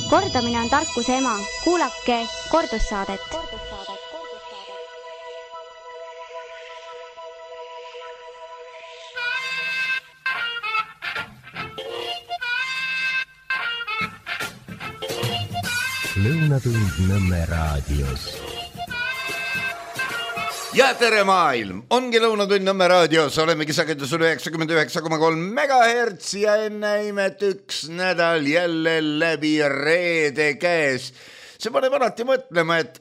Kordamine on tarkuse ema. Kuulake kordussaadet. Lõunatund Nõmme raadios. Ja tere maailm, ongi Lõunatund Nõmme raadios, olemegi sagedusel 99,3 MHz ja enne imet üks nädal jälle läbi reede käes. See paneb alati mõtlema, et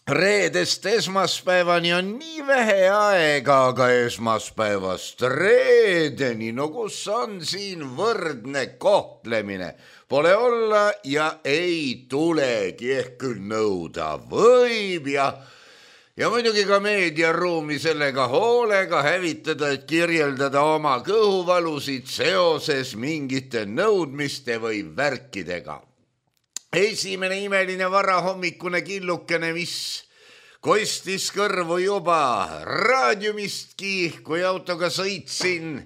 reedest esmaspäevani on nii vähe aega, aga esmaspäevast reedeni, no kus on siin võrdne kohtlemine? Pole olla ja ei tulegi, ehk küll nõuda võib ja muidugi ka meediaruumi sellega hoolega hävitada, et kirjeldada oma kõhuvalusid seoses mingite nõudmiste või värkidega. Esimene imeline varahommikune killukene, mis kostis kõrvu juba raadiumistki, kui autoga sõitsin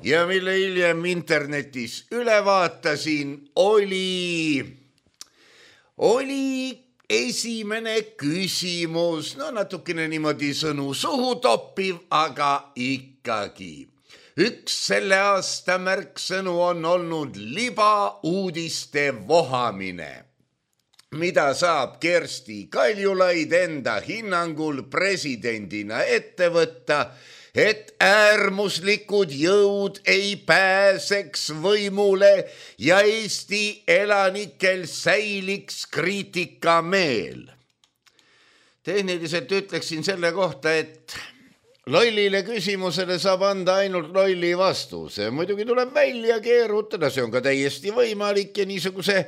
ja mille hiljem internetis üle vaatasin, oli esimene küsimus, no natukene niimoodi sõnu suhu toppiv, aga ikkagi. Üks selle aasta märksõnu on olnud libauudiste vohamine, mida saab Kersti Kaljulaid enda hinnangul presidendina ette võtta, et äärmuslikud jõud ei pääseks võimule ja Eesti elanikel säiliks kriitikameel. Tehniliselt ütleksin selle kohta, et lollile küsimusele saab anda ainult lolli vastuse. Muidugi tuleb välja keerutada, see on ka täiesti võimalik ja niisuguse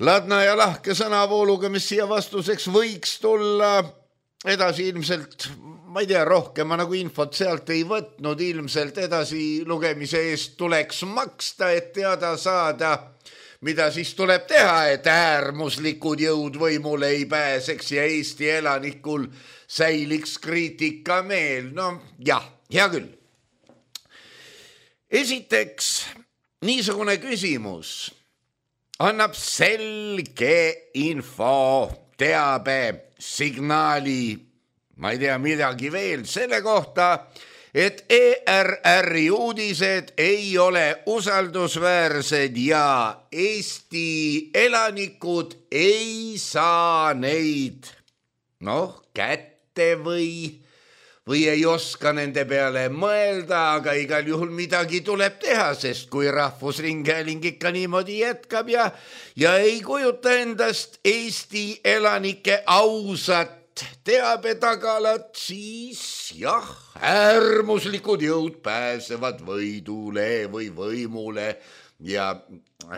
ladna ja lahke sõnavooluga, mis siia vastuseks võiks tulla edasi ilmselt, ma ei tea, rohkem ma nagu infot sealt ei võtnud, ilmselt edasi lugemise eest tuleks maksta, et teada saada, mida siis tuleb teha, et äärmuslikud jõud võimule ei pääseks ja Eesti elanikul säiliks kriitikameel. No jah, hea küll. Esiteks, niisugune küsimus annab selge info, teabe, signaali, ma ei tea midagi veel selle kohta, et ERR-i uudised ei ole usaldusväärsed ja Eesti elanikud ei saa neid kätte või ei oska nende peale mõelda, aga igal juhul midagi tuleb teha, sest kui Rahvusringhääling ikka niimoodi jätkab ja ei kujuta endast Eesti elanike ausat teabetagalat, siis jah, äärmuslikud jõud pääsevad võidule või võimule ja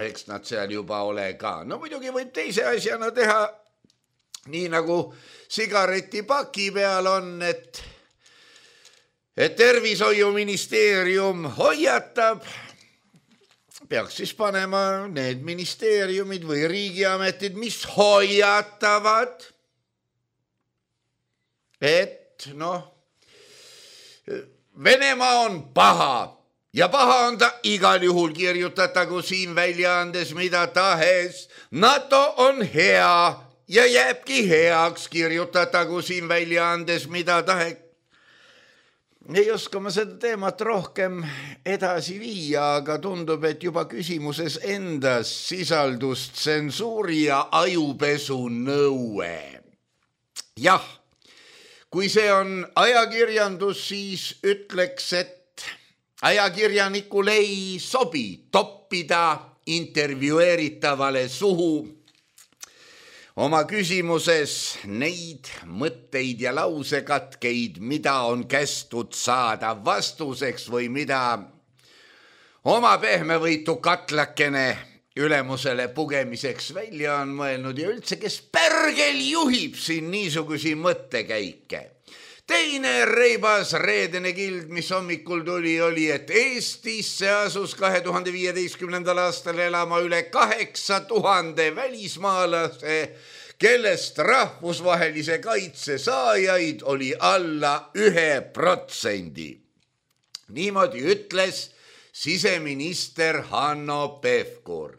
eks nad seal juba ole ka. No muidugi võib teise asjana teha nii nagu sigaretipaki peal on, et Tervishoiuministeerium hoiatab, peaks siis panema need ministeeriumid või riigiametid, mis hoiatavad, et Venemaa on paha ja paha on ta igal juhul, kirjutatagu siin väljaandes mida tahes. NATO on hea ja jääbki heaks, kirjutatagu siin väljaandes mida tahes. Ei oska ma seda teemat rohkem edasi viia, aga tundub, et juba küsimuses endas sisaldus tsensuuri ja ajupesu nõue. Jah, kui see on ajakirjandus, siis ütleks, et ajakirjanikul ei sobi toppida intervjueeritavale suhu oma küsimuses neid mõtteid ja lausekatkeid, mida on kästud saada vastuseks või mida oma pehmevõitu katlakene ülemusele pugemiseks välja on mõelnud ja üldse, kes pärgel juhib siin niisugusi mõttekäike. Teine reibas reedene kild, mis hommikul tuli, oli, et Eestisse asus 2015. aastal elama üle 8000 välismaalase, kellest rahvusvahelise kaitse saajaid oli alla 1%. Niimoodi ütles siseminister Hanno Pevkur.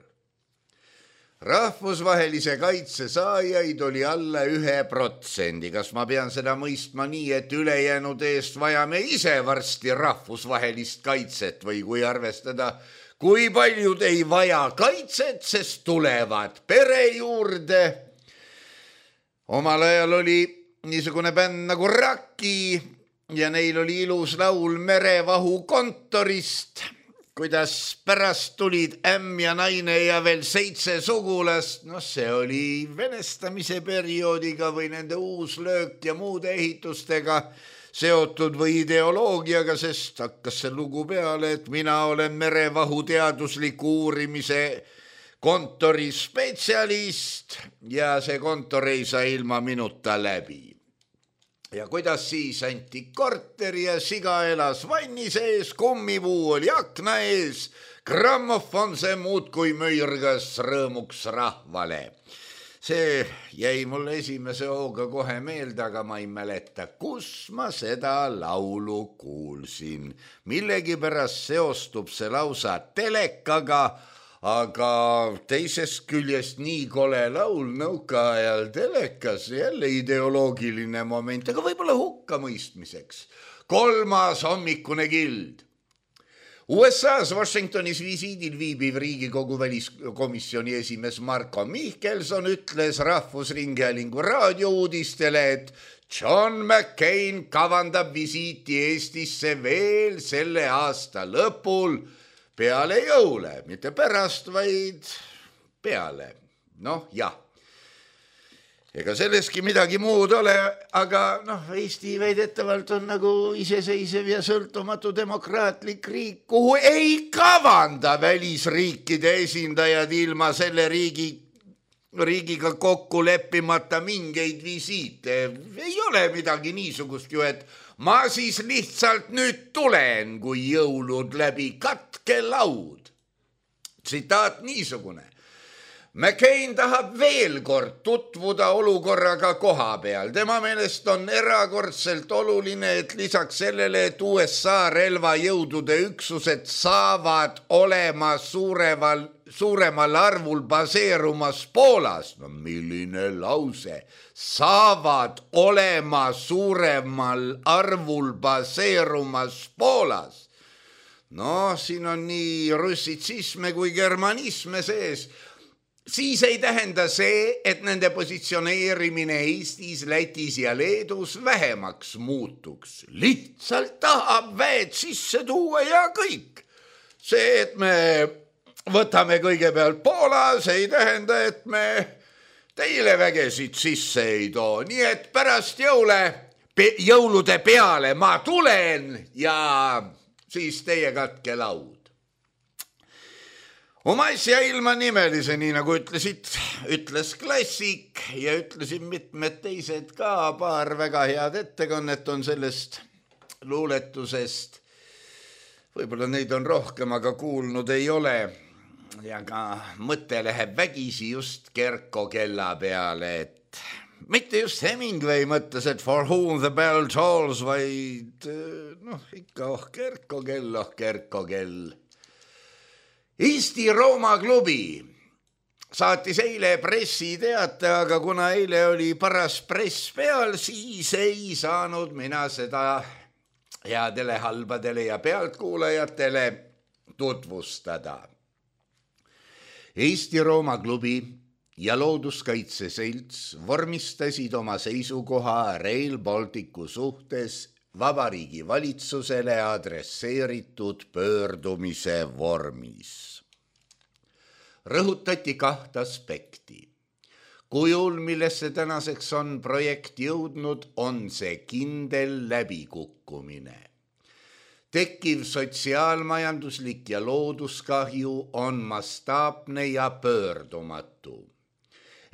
Rahvusvahelise kaitse saajaid oli alla 1%. Kas ma pean seda mõistma nii, et ülejäänud eest vajame ise varsti rahvusvahelist kaitset või kui arvestada, kui paljud ei vaja kaitset, sest tulevad pere juurde? Omal ajal oli niisugune bänd nagu Raki ja neil oli ilus laul Merevahu kontorist, kuidas pärast tulid ämm ja naine ja veel 7 sugulast. See oli venestamise perioodiga või nende uuslöök ja muude ehitustega seotud või ideoloogiaga, sest hakkas see lugu peale, et mina olen merevahu teadusliku uurimise kontori spetsialist ja see kontor ei saa ilma minuta läbi. Ja kuidas siis anti korter ja siga elas vanni sees, kummipuu oli akna ees, grammofon see muudkui möirgas rõõmuks rahvale. See jäi mulle esimese hooga kohe meelde, aga ma ei mäleta, kus ma seda laulu kuulsin. Millegipärast seostub see lausa telekaga, aga teisest küljest nii kole laul nõukaajal telekas, jälle ideoloogiline moment, aga võib-olla hukkamõistmiseks. 3. hommikune kild. USA-s Washingtonis visiidil viibiv Riigikogu väliskomisjoni esimees Marko Mihkelson ütles Rahvusringhäälingu raadiouudistele, et John McCain kavandab visiiti Eestisse veel selle aasta lõpul, peale jõule, mitte pärast, vaid peale. Jah. Ega selleski midagi muud ole, aga Eesti väidetavalt on nagu iseseisev ja sõltumatu demokraatlik riik, kuhu ei kavanda välisriikide esindajad ilma selle riigiga kokku leppimata mingeid visiite. Ei ole midagi niisugust ju, et ma siis lihtsalt nüüd tulen, kui jõulud läbi, katke laud. Tsitaat niisugune. McCain tahab veel kord tutvuda olukorraga koha peal. Tema meelest on erakordselt oluline, et lisaks sellele, et USA relvajõudude üksused saavad olema suuremal arvul baseerumas Poolas. Milline lause? Saavad olema suuremal arvul baseerumas Poolas. Siin on nii russitsisme kui germanisme sees. Siis ei tähenda see, et nende positsioneerimine Eestis, Lätis ja Leedus vähemaks muutuks. Lihtsalt tahab väed sisse tuua ja kõik. See, et me võtame kõigepealt Poolas, ei tähenda, et me teile vägesid sisse ei too. Nii et pärast jõulude peale ma tulen ja siis teie katke laud. Oma asja ilma nimelise, nii nagu ütles klassik ja ütlesin mitmed teised ka, paar väga head ettekannet on sellest luuletusest. Võib-olla neid on rohkem, aga kuulnud ei ole. Ja ka mõte läheb vägisi just Kerko kella peale, et mitte just Hemingway mõttes, et for whom the bell tolls, vaid ikka Kerko kell. Eesti Rooma klubi saatis eile pressiteate, aga kuna eile oli paras press peal, siis ei saanud mina seda headele, halbadele ja pealtkuulajatele tutvustada. Eesti Rooma klubi ja Looduskaitse Selts vormistasid oma seisukoha Rail Balticu suhtes Vabariigi valitsusele adresseeritud pöördumise vormis. Rõhutati 2 aspekti. Kujul, millesse tänaseks on projekt jõudnud, on see kindel läbikukkumine. Tekkiv sotsiaalmajanduslik ja looduskahju on mastaapne ja pöördumatu.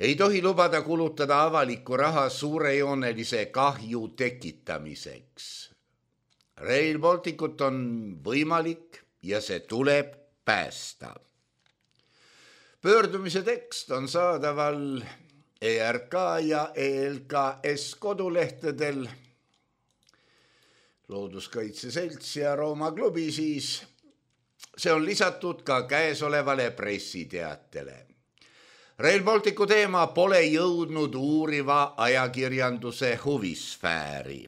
Ei tohi lubada kulutada avalikku raha suurejoonelise kahju tekitamiseks. Rail Balticut on võimalik ja see tuleb päästa. Pöördumise tekst on saadaval ERK ja ELKS kodulehtedel. Looduskaitse Selts ja Rooma klubi siis. See on lisatud ka käesolevale pressiteatele. Rail Balticu teema pole jõudnud uuriva ajakirjanduse huvisfääri.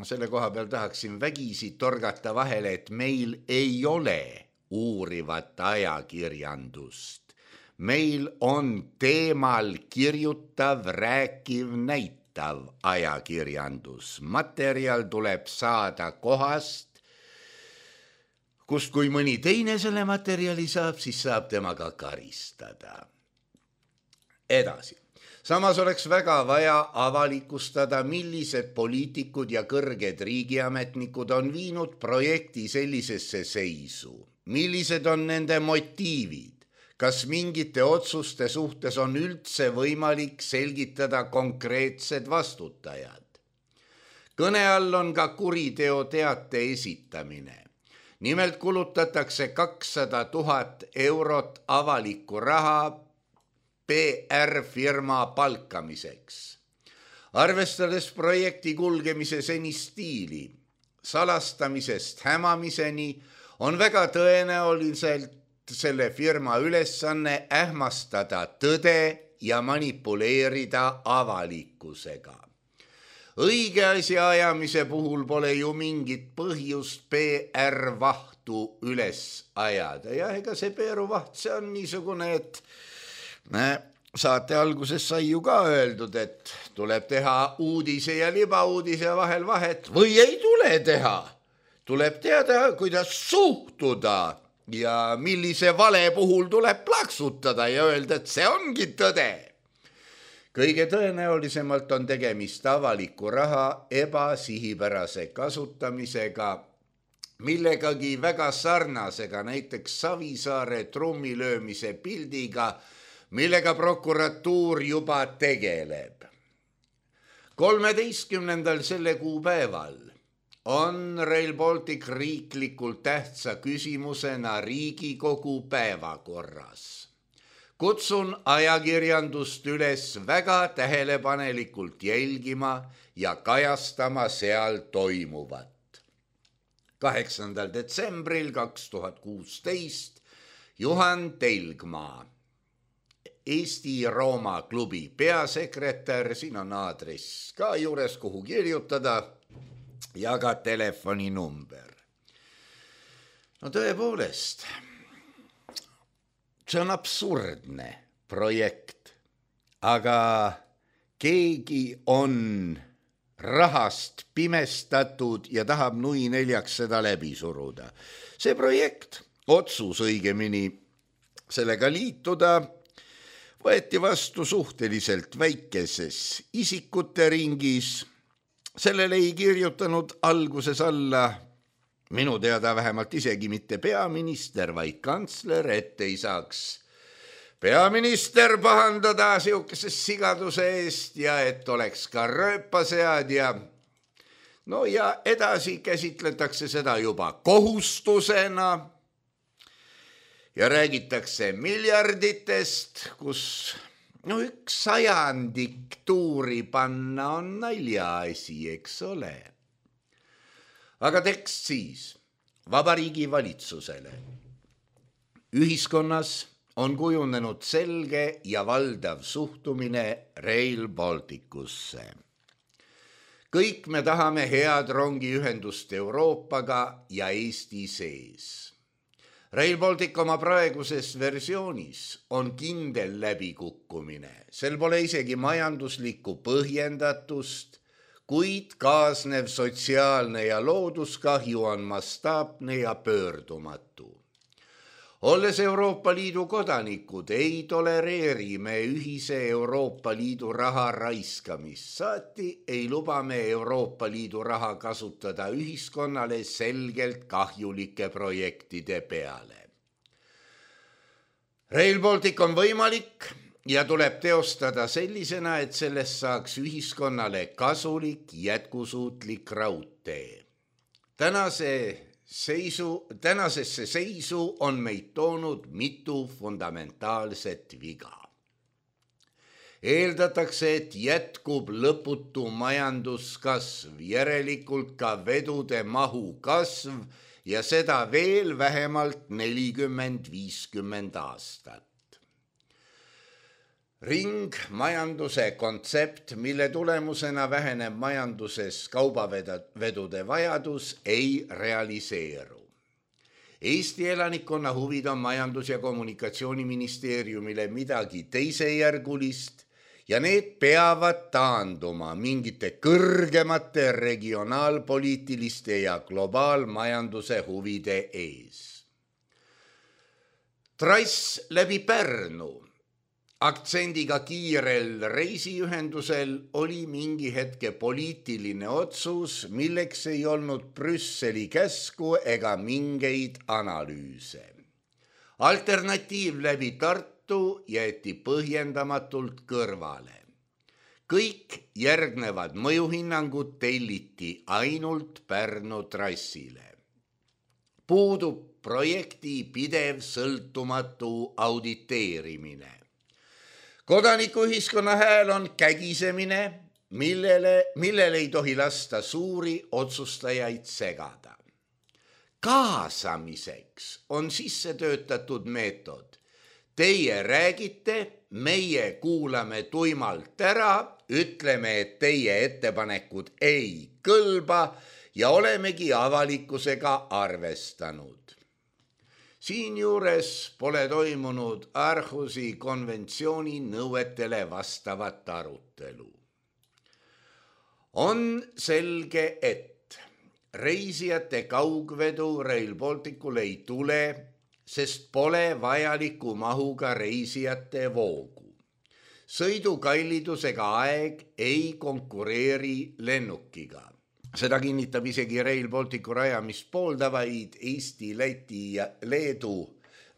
Selle koha peal tahaksin vägisi torgata vahele, et meil ei ole uurivat ajakirjandust. Meil on teemal kirjutav, rääkiv, näitav ajakirjandus. Materjal tuleb saada kohast, kust kui mõni teine selle materjali saab, siis saab temaga karistada. Edasi. Samas oleks väga vaja avalikustada, millised poliitikud ja kõrged riigiametnikud on viinud projekti sellisesse seisu. Millised on nende motiivid? Kas mingite otsuste suhtes on üldse võimalik selgitada konkreetsed vastutajad? Kõne all on ka kuriteoteate esitamine. Nimelt kulutatakse 200 000 eurot avalikku raha PR-firma palkamiseks. Arvestades projekti kulgemise seni stiili, salastamisest hämamiseni, on väga tõenäoliselt selle firma ülesanne ähmastada tõde ja manipuleerida avalikkusega. Õige asja ajamise puhul pole ju mingit põhjust PR-vahtu üles ajada. Ja ega see PR-vaht, see on niisugune, et saate alguses sai ju ka öeldud, et tuleb teha uudise ja libauudise vahel vahet või ei tule teha. Tuleb teada, kuidas suhtuda ja millise vale puhul tuleb plaksutada ja öelda, et see ongi tõde. Kõige tõenäolisemalt on tegemist avaliku raha ebasihipärase kasutamisega, millegagi väga sarnasega, näiteks Savisaare trummilöömise pildiga, millega prokuratuur juba tegeleb. 13. selle kuupäeval on Rail Baltic riiklikult tähtsa küsimusena Riigikogu päevakorras. Kutsun ajakirjandust üles väga tähelepanelikult jälgima ja kajastama seal toimuvat. 8. detsembril 2016 Juhan Telgmaa, Eesti-Rooma klubi peasekretär, siin on aadress ka juures, kuhu kirjutada, ja ka telefoninumber. No tõepoolest, see on absurdne projekt, aga keegi on rahast pimestatud ja tahab nui neljaks seda läbi suruda. See projekt, otsus õigemini sellega liituda, võeti vastu suhteliselt väikeses isikute ringis. Sellele ei kirjutanud alguses alla, minu teada vähemalt isegi mitte peaminister, vaid kantsler, et ei saaks peaminister pahandada siukese sigaduse eest ja et oleks ka rööpasead ja no ja edasi käsitletakse seda juba kohustusena. Ja räägitakse miljarditest, kus 1/100 tuuri panna on naljaasi, eks ole. Aga tekst siis Vabariigi valitsusele. Ühiskonnas on kujunenud selge ja valdav suhtumine Rail Balticusse. Kõik me tahame head rongiühendust Euroopaga ja Eesti sees. Rail Baltic oma praeguses versioonis on kindel läbikukkumine. Sel pole isegi majanduslikku põhjendatust, kuid kaasnev sotsiaalne ja looduskahju on mastaapne ja pöördumatu. Olles Euroopa Liidu kodanikud, ei tolereeri me ühise Euroopa Liidu raha raiskamist. Saati ei luba me Euroopa Liidu raha kasutada ühiskonnale selgelt kahjulike projektide peale. Rail Baltic on võimalik ja tuleb teostada sellisena, et sellest saaks ühiskonnale kasulik, jätkusuutlik raudtee. Tänasesse seisu on meid toonud mitu fundamentaalset viga. Eeldatakse, et jätkub lõputu majanduskasv, järelikult ka vedude mahu kasv ja seda veel vähemalt 40-50 aastat. Ringmajanduse kontsept, mille tulemusena väheneb majanduses kaubavedude vajadus, ei realiseeru. Eesti elanikkonna huvid on Majandus- ja Kommunikatsiooniministeeriumile midagi teisejärgulist ja need peavad taanduma mingite kõrgemate regionaalpoliitiliste ja globaalmajanduse huvide ees. Trass läbi Pärnu aktsendiga kiirel reisiühendusel oli mingi hetke poliitiline otsus, milleks ei olnud Brüsseli käsku ega mingeid analüüse. Alternatiiv läbi Tartu jäeti põhjendamatult kõrvale. Kõik järgnevad mõjuhinnangud telliti ainult Pärnu trassile. Puudub projekti pidev sõltumatu auditeerimine. Kodanikuühiskonna hääl on kägisemine, millele ei tohi lasta suuri otsustajaid segada. Kaasamiseks on sisse töötatud meetod. Teie räägite, meie kuulame tuimalt ära, ütleme, et teie ettepanekud ei kõlba ja olemegi avalikkusega arvestanud. Siinjuures pole toimunud Aarhusi konventsiooni nõuetele vastavat arutelu. On selge, et reisijate kaugvedu Rail Balticul ei tule, sest pole vajaliku mahuga reisijate voogu. Sõidukallidusega aeg ei konkureeri lennukiga. Seda kinnitab isegi Rail Balticu rajamist pooldavaid Eesti, Läti ja Leedu,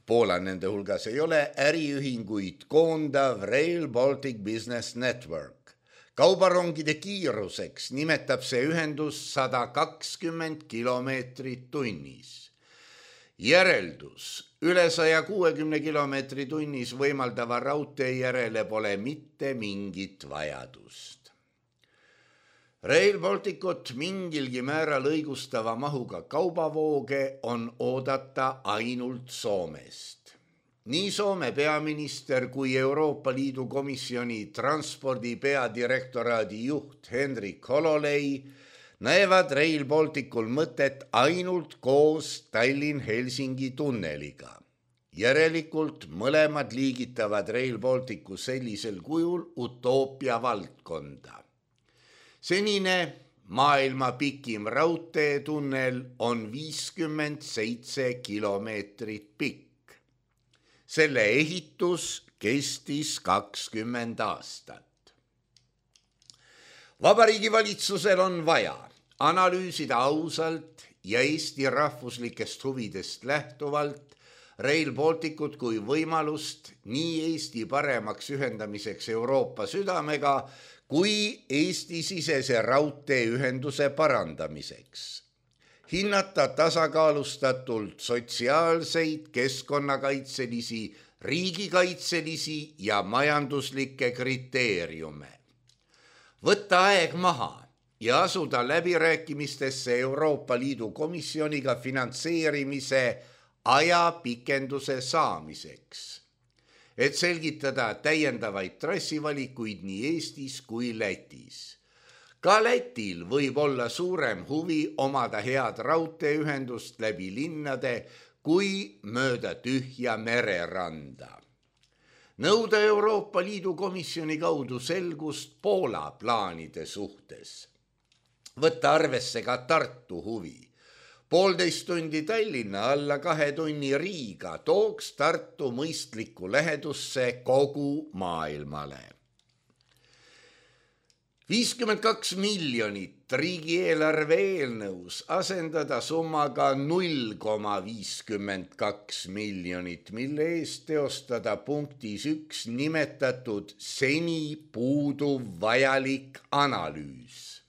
Poola nende hulgas ei ole, äriühinguid koondav Rail Baltic Business Network. Kaubarongide kiiruseks nimetab see ühendus 120 kilomeetrit tunnis. Järeldus, üle 160 kilomeetri tunnis võimaldava raudtee järele pole mitte mingit vajadust. Rail Balticut mingilgi määral õigustava mahuga kaubavooge on oodata ainult Soomest. Nii Soome peaminister kui Euroopa Liidu komisjoni transpordi peadirektoraadi juht Henrik Hololei näevad Rail Balticul mõtet ainult koos Tallinn-Helsingi tunneliga. Järelikult mõlemad liigitavad Rail Balticu sellisel kujul utoopia valdkonda. Senine maailma pikim raudteetunnel on 57 kilomeetrit pikk. Selle ehitus kestis 20 aastat. Vabariigi valitsusel on vaja analüüsida ausalt ja Eesti rahvuslikest huvidest lähtuvalt Rail Balticut kui võimalust nii Eesti paremaks ühendamiseks Euroopa südamega kui Eesti-sisese raudteeühenduse parandamiseks. Hinnata tasakaalustatult sotsiaalseid, keskkonnakaitselisi, riigikaitselisi ja majanduslikke kriteeriume. Võtta aeg maha ja asuda läbirääkimistesse Euroopa Liidu komisjoniga finantseerimise ajapikenduse saamiseks, et selgitada täiendavaid trassivalikuid nii Eestis kui Lätis. Ka Lätil võib olla suurem huvi omada head raudteeühendust läbi linnade kui mööda tühja mereranda. Nõuda Euroopa Liidu komisjoni kaudu selgust Poola plaanide suhtes. Võtta arvesse ka Tartu huvi. 1,5 tundi Tallinna, alla 2 tunni Riiga tooks Tartu mõistlikku lähedusse kogu maailmale. 52 miljonit riigieelarve eelnõus asendada summaga 0,52 miljonit, mille eest teostada punktis 1 nimetatud seni puuduv vajalik analüüs.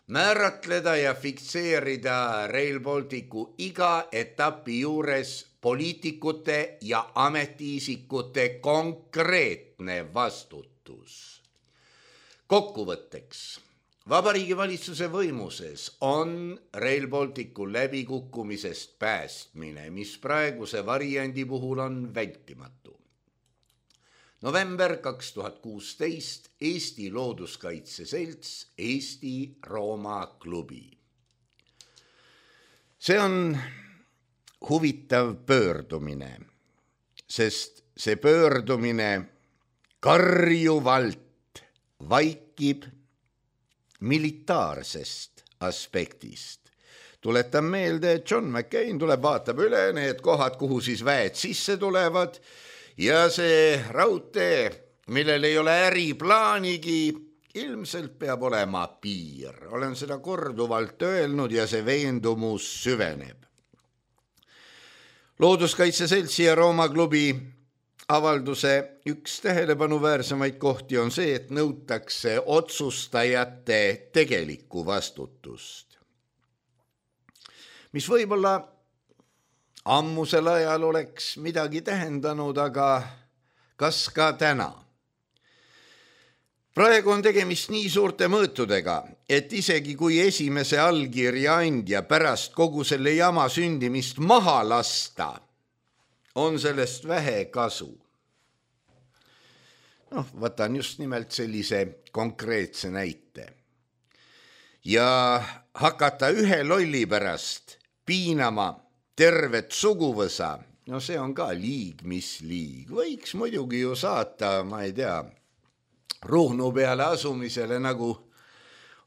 Määratleda ja fikseerida Rail Balticu iga etapi juures poliitikute ja ametiisikute konkreetne vastutus. Kokkuvõtteks, Vabariigi Valitsuse võimuses on Rail Balticu läbikukkumisest päästmine, mis praeguse variandi puhul on vältimatu. november 2016, Eesti Looduskaitse Selts, Eesti Rooma klubi. See on huvitav pöördumine, sest see pöördumine karjuvalt vaikib militaarsest aspektist. Tuletan meelde, et John McCain tuleb, vaatab üle need kohad, kuhu siis väed sisse tulevad ja see raudtee, millel ei ole äriplaanigi, ilmselt peab olema piir. Olen seda korduvalt öelnud ja see veendumus süveneb. Looduskaitse Seltsi ja Rooma klubi avalduse üks tähelepanu-väärsemaid kohti on see, et nõutakse otsustajate tegelikku vastutust. Mis võib-olla ammusel ajal oleks midagi tähendanud, aga kas ka täna? Praegu on tegemist nii suurte mõõtudega, et isegi kui esimese allkirja andja pärast kogu selle jama sündimist maha lasta, on sellest vähe kasu. Võtan just nimelt sellise konkreetse näite. Ja hakata ühe lolli pärast piinama tervet suguvõsa, see on ka liig, mis liig. Võiks muidugi ju saata, ma ei tea, Ruhnu peale asumisele, nagu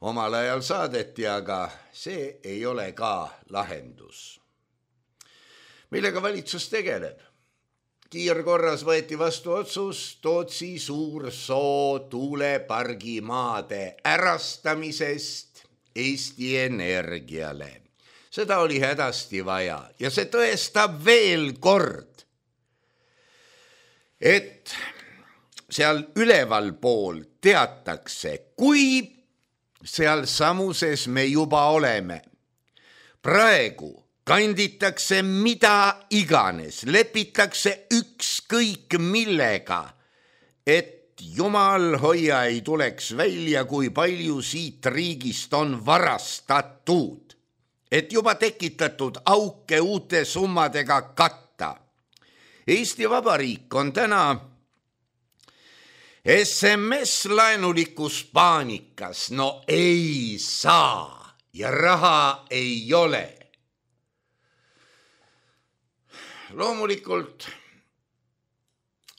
omal ajal saadeti, aga see ei ole ka lahendus. Millega valitsus tegeleb? Kiirkorras võeti vastu otsus Tootsi Suursoo tuulepargi maade ärastamisest Eesti Energiale. Seda oli hädasti vaja ja see tõestab veel kord, et seal üleval pool teatakse, kui seal samuses me juba oleme. Praegu kanditakse mida iganes, lepitakse ükskõik millega, et jumal hoia ei tuleks välja, kui palju siit riigist on varastatud, et juba tekitatud auke uute summadega katta. Eesti Vabariik on täna SMS-laenulikus paanikas, ei saa ja raha ei ole. Loomulikult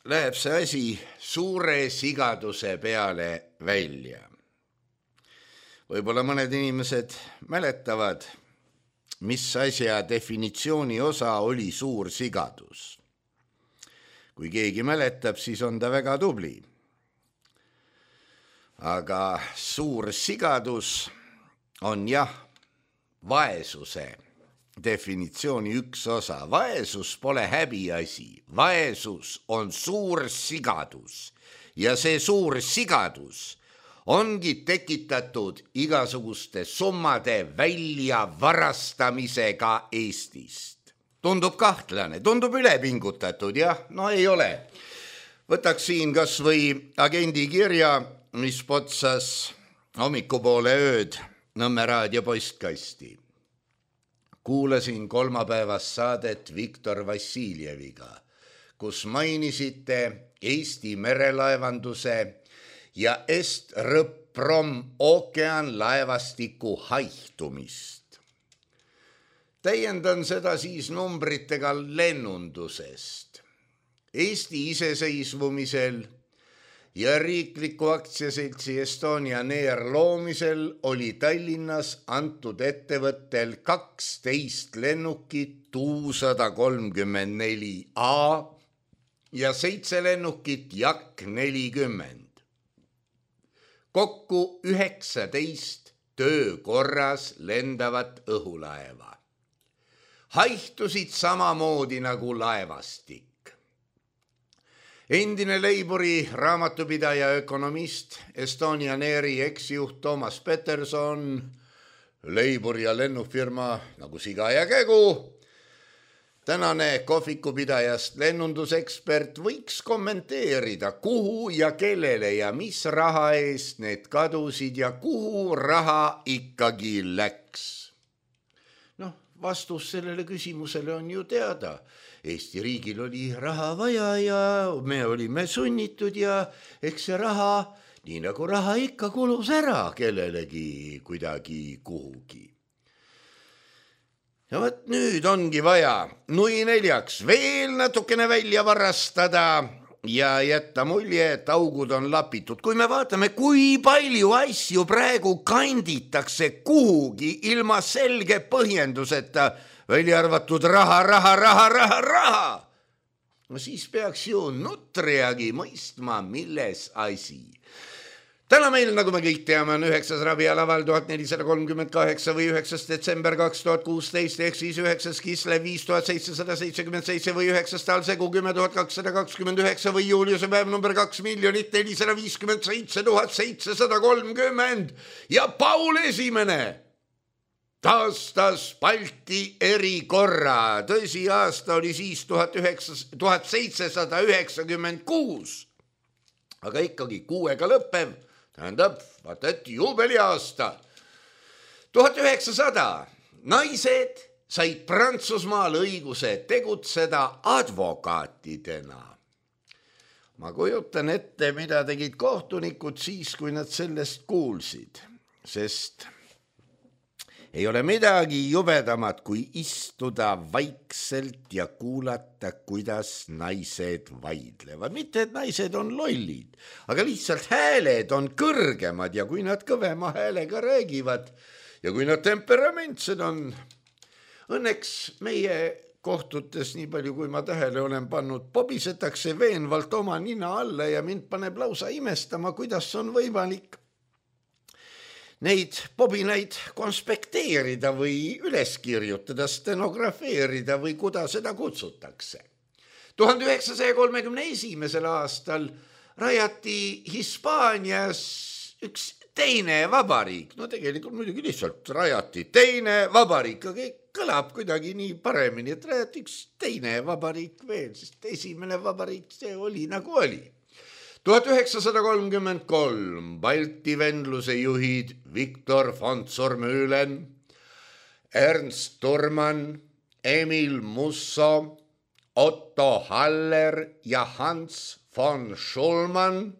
läheb see asi suure sigaduse peale välja. Võib-olla mõned inimesed mäletavad, mis asja definitsiooni osa oli suur sigadus. Kui keegi mäletab, siis on ta väga tubli. Aga suur sigadus on vaesuse definitsiooni üks osa. Vaesus pole häbiasi, vaesus on suur sigadus ja see suur sigadus ongi tekitatud igasuguste summade väljavarastamisega Eestist. Tundub kahtlane, tundub ülepingutatud, ei ole. Võtaks siin kas või agendi kirja, mis potsas hommikupoole ööd Nõmme raadio postkasti. Kuulasin kolmapäevast saadet Viktor Vassiljeviga, kus mainisite Eesti merelaevanduse ja Est-Rõpprom ookeanlaevastiku haihtumist. Täiendan seda siis numbritega lennundusest. Eesti iseseisvumisel ja riikliku aktsiaseltsi Estonian Air loomisel oli Tallinnas antud ettevõttel 12 lennukit Tu-134A ja 7 lennukit Jak 40. Kokku 19 töökorras lendavat õhulaeva. Haihtusid samamoodi nagu laevastik. Endine Leiburi raamatupidaja ökonomist, Estonian Airi eksjuht Toomas Peterson, Leibur ja lennufirma nagu Siga ja Kägu, tänane kohvikupidajast lennundusekspert võiks kommenteerida, kuhu ja kellele ja mis raha eest need kadusid ja kuhu raha ikkagi läks. Vastus sellele küsimusele on ju teada. Eesti riigil oli raha vaja ja me olime sunnitud ja eks see raha, nii nagu raha ikka kulus ära kellelegi kuidagi kuhugi. Ja võt nüüd ongi vaja nui neljaks veel natukene välja varastada ja jätta mulje, et augud on lapitud. Kui me vaatame, kui palju asju praegu kanditakse kuhugi ilma selge põhjenduseta, välja arvatud raha, no siis peaks ju nutriagi mõistma, milles asi. Täna meil, nagu me kõik teame, on 9. rabialaval 1438 või 9. detsember 2016 ehk siis 9. kislev 5777 või 9. talsegu 10229 või Juliuse päev number 2 457 730 ja Paul Esimene taastas Balti erikorra. Tõsi, aasta oli siis 1796, aga ikkagi 6-ga lõppev. Tähendab, vaata, et juubeliaasta. 1900 naised said Prantsusmaal õiguse tegutseda advokaatidena. Ma kujutan ette, mida tegid kohtunikud siis, kui nad sellest kuulsid, sest ei ole midagi jubedamat, kui istuda vaikselt ja kuulata, kuidas naised vaidlevad. Mitte, et naised on lollid, aga lihtsalt hääled on kõrgemad ja kui nad kõvema häälega räägivad ja kui nad temperamentsed on. Õnneks meie kohtutes, nii palju kui ma tähele olen pannud, pobisetakse veenvalt oma nina alla ja mind paneb lausa imestama, kuidas on võimalik neid pobinaid konspekteerida või üles kirjutada, stenografeerida või kuda seda kutsutakse. 1931. aastal rajati Hispaanias üks teine vabariik. No tegelikult muidugi lihtsalt rajati teine vabariik, aga kõlab kuidagi nii paremini, et rajati üks teine vabariik veel, sest esimene vabariik see oli nagu oli. 1933 Balti vendluse juhid Viktor von Zormühlen, Ernst Thurmann, Emil Musso, Otto Haller ja Hans von Schulman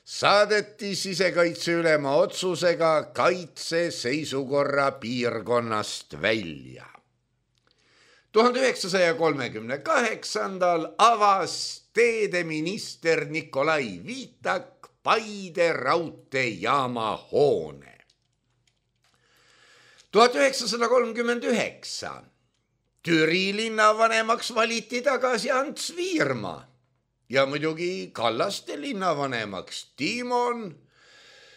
saadeti sisekaitseülema otsusega kaitseseisukorra piirkonnast välja. 1938. avas teedeminister Nikolai Viitak Paide raudteejaama hoone. 1939. Türi linnavanemaks valiti tagasi Ants Viirma ja muidugi Kallaste linnavanemaks Timon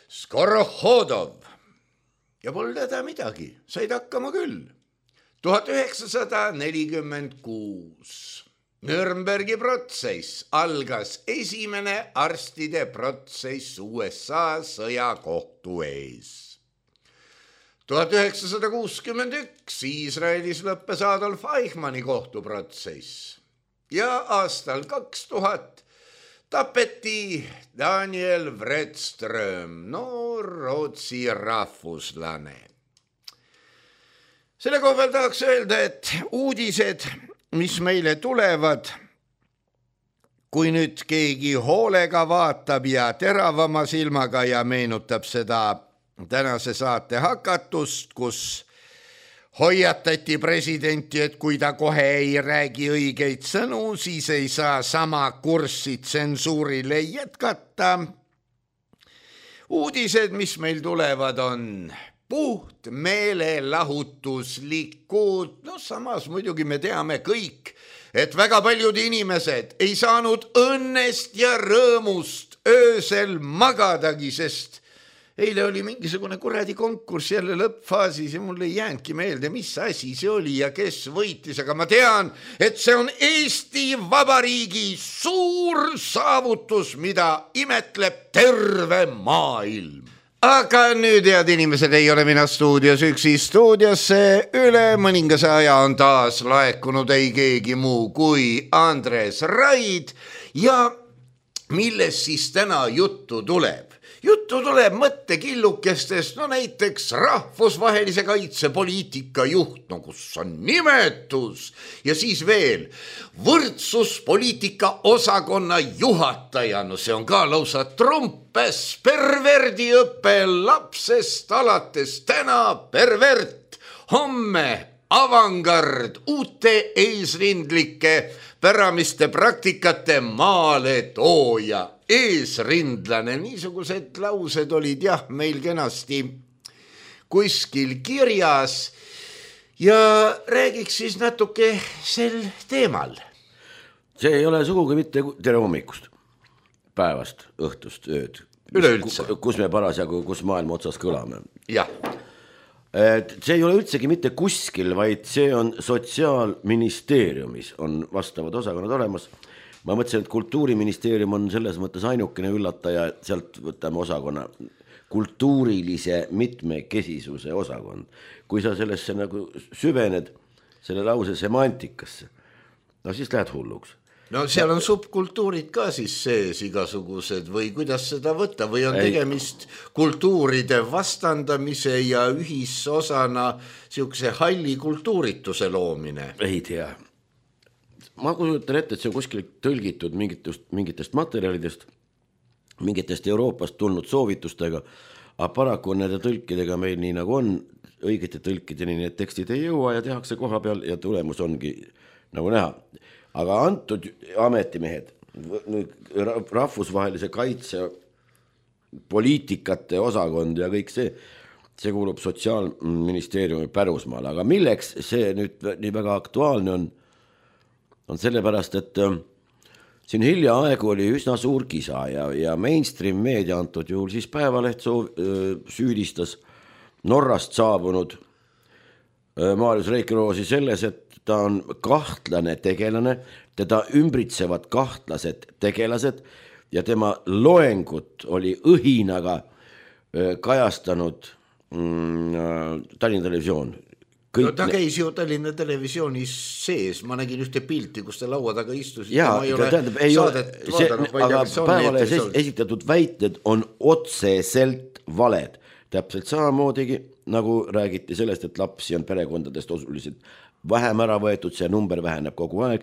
Skorohodov. Ja pole teda midagi, said hakkama küll. 1946. Nürnbergi protsess algas esimene arstide protsess USA sõjakohtu ees. 1961 Iisraelis lõppes Adolf Eichmanni kohtuprotsess ja aastal 2000 tapeti Daniel Wredström, noor Rootsi rahvuslane. Selle koha peal tahaks öelda, et uudised, mis meile tulevad, kui nüüd keegi hoolega vaatab ja teravama silmaga ja meenutab seda tänase saate hakatust, kus hoiatati presidenti, et kui ta kohe ei räägi õigeid sõnu, siis ei saa sama kurssi tsensuurile jätkata. Uudised, mis meil tulevad, on puht meelelahutuslikud. No samas muidugi me teame kõik, et väga paljud inimesed ei saanud õnnest ja rõõmust öösel magadagi, sest eile oli mingisugune kuradi konkurss jälle lõppfaasis ja mul ei jäänudki meelde, mis asi see oli ja kes võitis, aga ma tean, et see on Eesti Vabariigi suur saavutus, mida imetleb terve maailm. Aga nüüd, head inimesed, ei ole mina stuudios üksi. Stuudiosse üle mõningase aja on taas laekunud ei keegi muu kui Andres Raid ja millest siis täna juttu tuleb? Juttu tuleb mõttekillukestest, no näiteks rahvusvahelise kaitsepoliitika juht, no kus on nimetus, ja siis veel võrdsuspoliitika osakonna juhataja, no see on ka lausa trumpes, perverdiõpe lapsest alates täna pervert, homme avangard, uute eesrindlike päramiste praktikate maale tooja, eesrindlane, niisugused laused olid jah meil kenasti kuskil kirjas ja räägiks siis natuke sel teemal. See ei ole sugugi mitte tere hommikust, päevast, õhtust, ööd. Üleüldse. Kus me parasjagu, kus maailma otsas kõlame. Jah. See ei ole üldsegi mitte kuskil, vaid see on Sotsiaalministeeriumis on vastavad osakonnad olemas. Ma mõtlesin, et Kultuuriministeerium on selles mõttes ainukene üllataja, sealt võtame osakonna kultuurilise mitmekesisuse osakond. Kui sa sellesse nagu süvened selle lause semantikasse, no siis lähed hulluks. No seal on subkultuurid ka siis sees igasugused või kuidas seda võtta või on tegemist kultuuride vastandamise ja ühisosana siukse halli kultuurituse loomine? Ei tea. Ma kujutan ette, et see on kuskil tõlgitud mingitest materjalidest, mingitest Euroopast tulnud soovitustega, aga paraku nende tõlkidega meil nii nagu on, õigete tõlkideni need tekstid ei jõua ja tehakse koha peal ja tulemus ongi nagu näha. Aga antud ametimehed, rahvusvahelise kaitse poliitikate osakond ja kõik see kuulub Sotsiaalministeeriumi pärusmaale, aga milleks see nüüd nii väga aktuaalne on sellepärast, et siin hilja aegu oli üsna suur kisa ja mainstream meedia antud juhul siis Päevaleht süüdistas Norrast saabunud Marius Reikiroosi selles, et ta on kahtlane tegelane, teda ümbritsevad kahtlased tegelased ja tema loengut oli õhinaga kajastanud Tallinna Televisioon. No ta käis ju Tallinna Televisioonis sees, ma nägin ühte pilti, kus ta laua taga istus. Jaa, aga Päevalehes esitatud väited on otseselt valed. Täpselt samamoodigi, nagu räägiti sellest, et lapsi on perekondadest osuliselt vähem ära võetud, see number väheneb kogu aeg.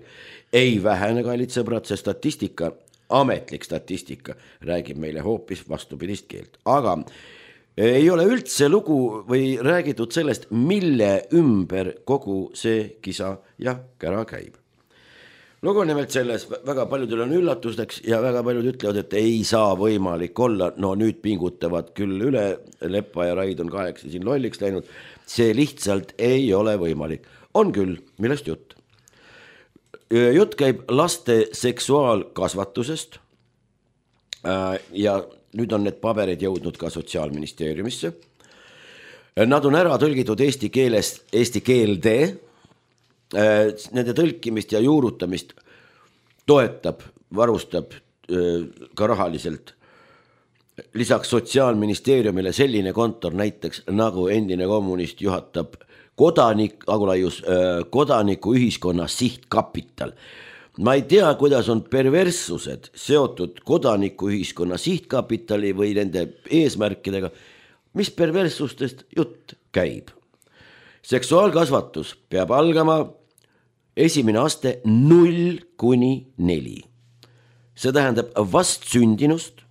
Ei vähene, kallid sõbrad, see statistika, ametlik statistika räägib meile hoopis vastupidist keelt. Aga ei ole üldse lugu või räägitud sellest, mille ümber kogu see kisa ja kära käib. Lugu nimelt selles, väga paljudel on üllatusteks ja väga paljud ütlevad, et ei saa võimalik olla, no nüüd pingutavad küll üle, Leppa ja Raid on kaheksa siin lolliks läinud, see lihtsalt ei ole võimalik. On küll, millest jutt? Jutt käib laste seksuaalkasvatusest ja nüüd on need paberid jõudnud ka Sotsiaalministeeriumisse. Nad on ära tõlgitud eesti keelest eesti keelde. Nende tõlkimist ja juurutamist toetab, varustab ka rahaliselt. Lisaks Sotsiaalministeeriumile selline kontor näiteks nagu endine kommunist juhatab kodaniku ühiskonna sihtkapital. Ma ei tea, kuidas on perverssused seotud kodanikuühiskonna sihtkapitali või nende eesmärkidega, mis perverssustest jutt käib. Seksuaalkasvatus peab algama esimene aste 0–4. See tähendab vast sündinust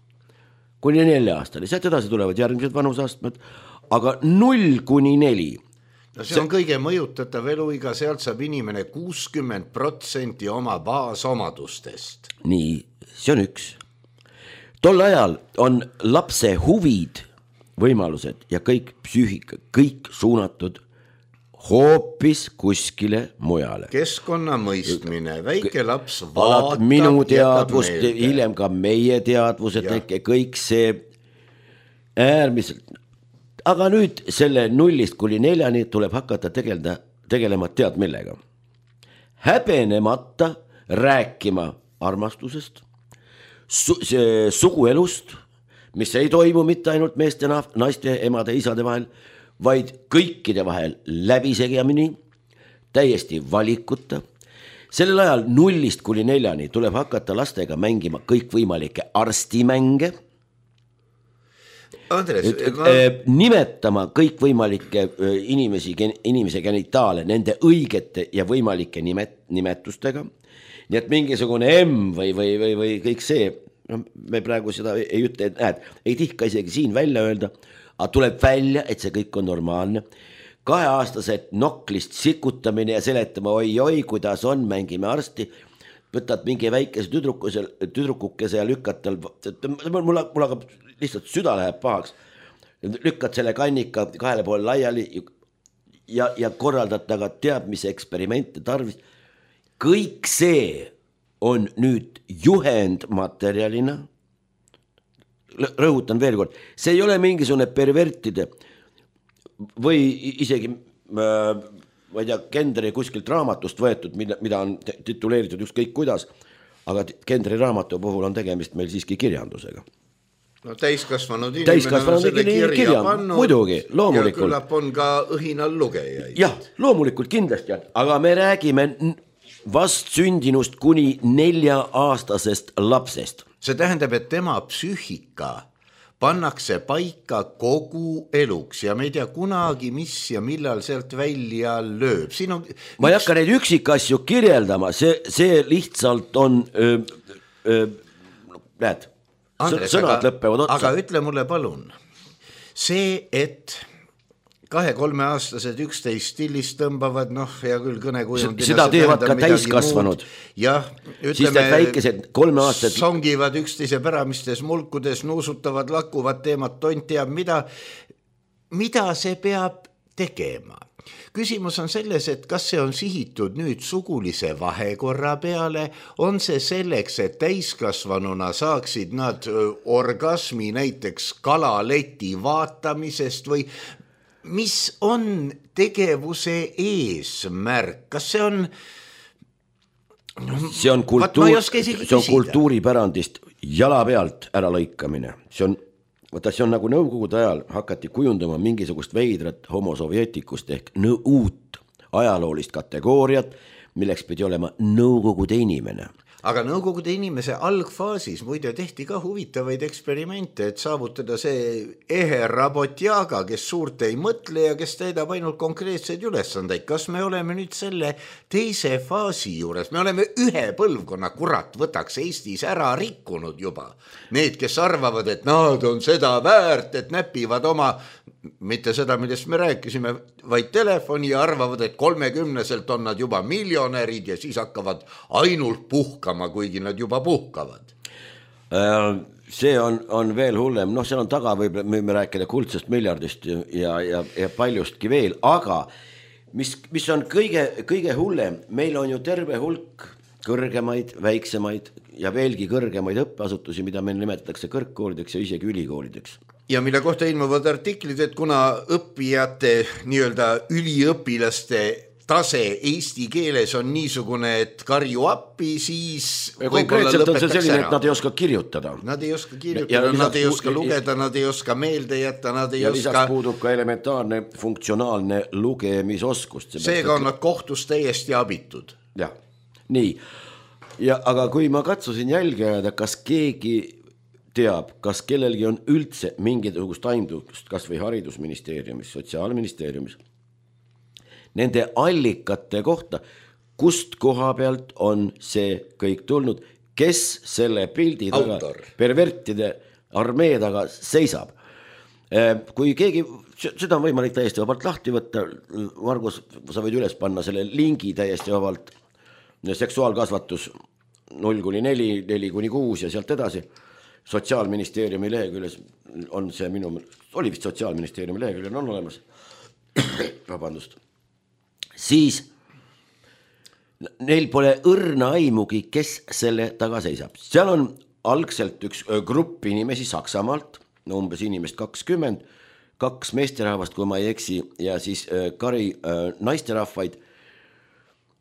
kuni 4 aastali. Sealt edasi tulevad järgmised vanusastmed, aga 0–4. No see on kõige mõjutatav eluiga, sealt saab inimene 60% oma baasomadustest. Nii, see on üks. Tol ajal on lapse huvid, võimalused ja kõik psüühika, kõik suunatud hoopis kuskile mujale. Keskkonna mõistmine, väike laps vaatab minu teadvust, hiljem ka meie teadvused, kõik see äärmiselt. Aga nüüd selle 0–4 tuleb hakata tegelema tead millega. Häbenemata rääkima armastusest, suguelust, mis ei toimu mitte ainult meeste, naiste, emade, isade vahel, vaid kõikide vahel läbisegamini, täiesti valikuta. Sellel ajal 0–4 tuleb hakata lastega mängima kõikvõimalikke arstimänge. Andres, nimetama kõikvõimalikke inimese genitaale nende õigete ja võimalike nimetustega, nii et mingisugune M või kõik see, no, me praegu seda ei ütle, ei tihka isegi siin välja öelda, aga tuleb välja, et see kõik on normaalne. 2-aastased noklist sikutamine ja seletama oi, kuidas on, mängime arsti, võtad mingi väikese tüdrukukese ja lükkad tal, mul hakkab lihtsalt süda läheb pahaks, lükkad selle kannika 2 poole laiali ja korraldad taga teab, mis eksperimente tarvis. Kõik see on nüüd juhendmaterjalina, rõhutan veel kord, see ei ole mingisugune pervertide või isegi ma ei tea, Kendri kuskilt raamatust võetud, mida on tituleeritud ükskõik kuidas, aga Kendri raamatu puhul on tegemist meil siiski kirjandusega. No täiskasvanud inimene on selle kirja pannud, muidugi, loomulikult. Ja küllap on ka õhinal lugejaid. Jah, loomulikult kindlasti, aga me räägime vast sündinust kuni 4-aastasest lapsest. See tähendab, et tema psüühika pannakse paika kogu eluks ja me ei tea kunagi, mis ja millal sealt välja lööb. Ma ei hakka neid üksikasju kirjeldama, see lihtsalt on, näed, Andres, sõnad lõppevad otsa. Aga ütle mulle palun, see, et 2-3 aastased 11 stillist tõmbavad, hea küll kõnekujundina. Seda teevad ka täiskasvanud. Jah, ütleme, väikesed 3 aastad. Songivad üksteise päramistes mulkudes, nuusutavad, lakuvad teemad, tont teab mida see peab tegema. Küsimus on selles, et kas see on sihitud nüüd sugulise vahekorra peale, on see selleks, et täiskasvanuna saaksid nad orgasmi näiteks kalaleti vaatamisest või mis on tegevuse eesmärk? Kas see on... See on kultuuripärandist jala pealt ära lõikamine. See on nagu nõukogude ajal hakati kujundama mingisugust veidrat homosovjeetikust ehk uut ajaloolist kategooriat, milleks pidi olema nõukogude inimene. Aga nõukogude inimese algfaasis muide tehti ka huvitavaid eksperimente, et saavutada see ehe rabotjaga, kes suurt ei mõtle ja kes täidab ainult konkreetseid ülesandeid. Kas me oleme nüüd selle teise faasi juures? Me oleme ühe põlvkonna, kurat, võtaks Eestis ära rikkunud juba. Need, kes arvavad, et nad on seda väärt, et näpivad oma, mitte seda, millest me rääkisime, vaid telefoni ja arvavad, et 30-selt on nad juba miljonärid ja siis hakkavad ainult puhkama, kuigi nad juba puhkavad. See on veel hullem, seal on taga võime rääkida kuldsest miljardist ja paljustki veel, aga mis on kõige hullem, meil on ju terve hulk kõrgemaid, väiksemaid ja veelgi kõrgemaid õppeasutusi, mida meil nimetatakse kõrgkoolideks ja isegi ülikoolideks. Ja mille kohta ilmuvad artiklid, et kuna õppijate, nii-öelda üliõpilaste tase eesti keeles on niisugune, et karju appi, siis konkreetselt on see selline, et nad ei oska kirjutada. Nad ei oska kirjutada, nad ei oska lugeda, nad ei oska meelde jätta, nad ei oska... Ja lisaks puudub ka elementaarne funktsionaalne lugemisoskust. Seega on nad kohtus täiesti abitud. Jah, nii. Aga kui ma katsusin jälgida, kas keegi teab, kas kellelgi on üldse mingisugust aimdust, kas või haridusministeeriumis, sotsiaalministeeriumis, nende allikate kohta, kust koha pealt on see kõik tulnud, kes selle pildi taga, pervertide armee taga seisab. Kui keegi, seda on võimalik täiesti vabalt lahti võtta, Margus, sa võid üles panna selle lingi täiesti vabalt, seksuaalkasvatus 0-4, 4-6 ja sealt edasi. Sotsiaalministeeriumi leheküljes on see oli vist Sotsiaalministeeriumi leheküljel on olemas. Vabandust. Siis neil pole õrna aimugi, kes selle taga seisab. Seal on algselt üks grupp inimesi Saksamaalt, umbes inimest 20, 2 meesterahvast, kui ma ei eksi, ja siis kari naisterahvaid,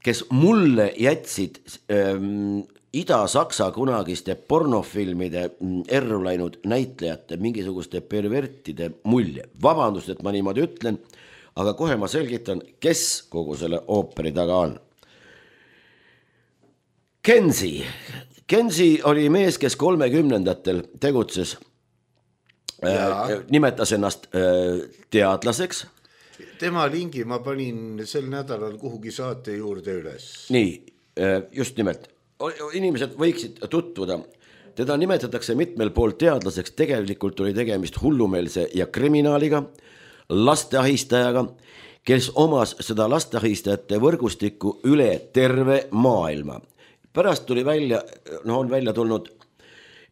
kes mulle jätsid Ida-Saksa kunagiste pornofilmide erru läinud näitlejate mingisuguste pervertide mulje. Vabandust, et ma niimoodi ütlen, aga kohe ma selgitan, kes kogu selle ooperi taga on. Kenzie oli mees, kes 30-ndatel tegutses nimetas ennast teadlaseks. Tema lingi ma panin sel nädalal kuhugi saate juurde üles. Nii, just nimelt. Inimesed võiksid tutvuda. Teda nimetatakse mitmel pool teadlaseks, tegelikult oli tegemist hullumeelse ja kriminaaliga, lasteahistajaga, kes omas seda lasteahistajate võrgustikku üle terve maailma. Pärast tuli välja, on välja tulnud,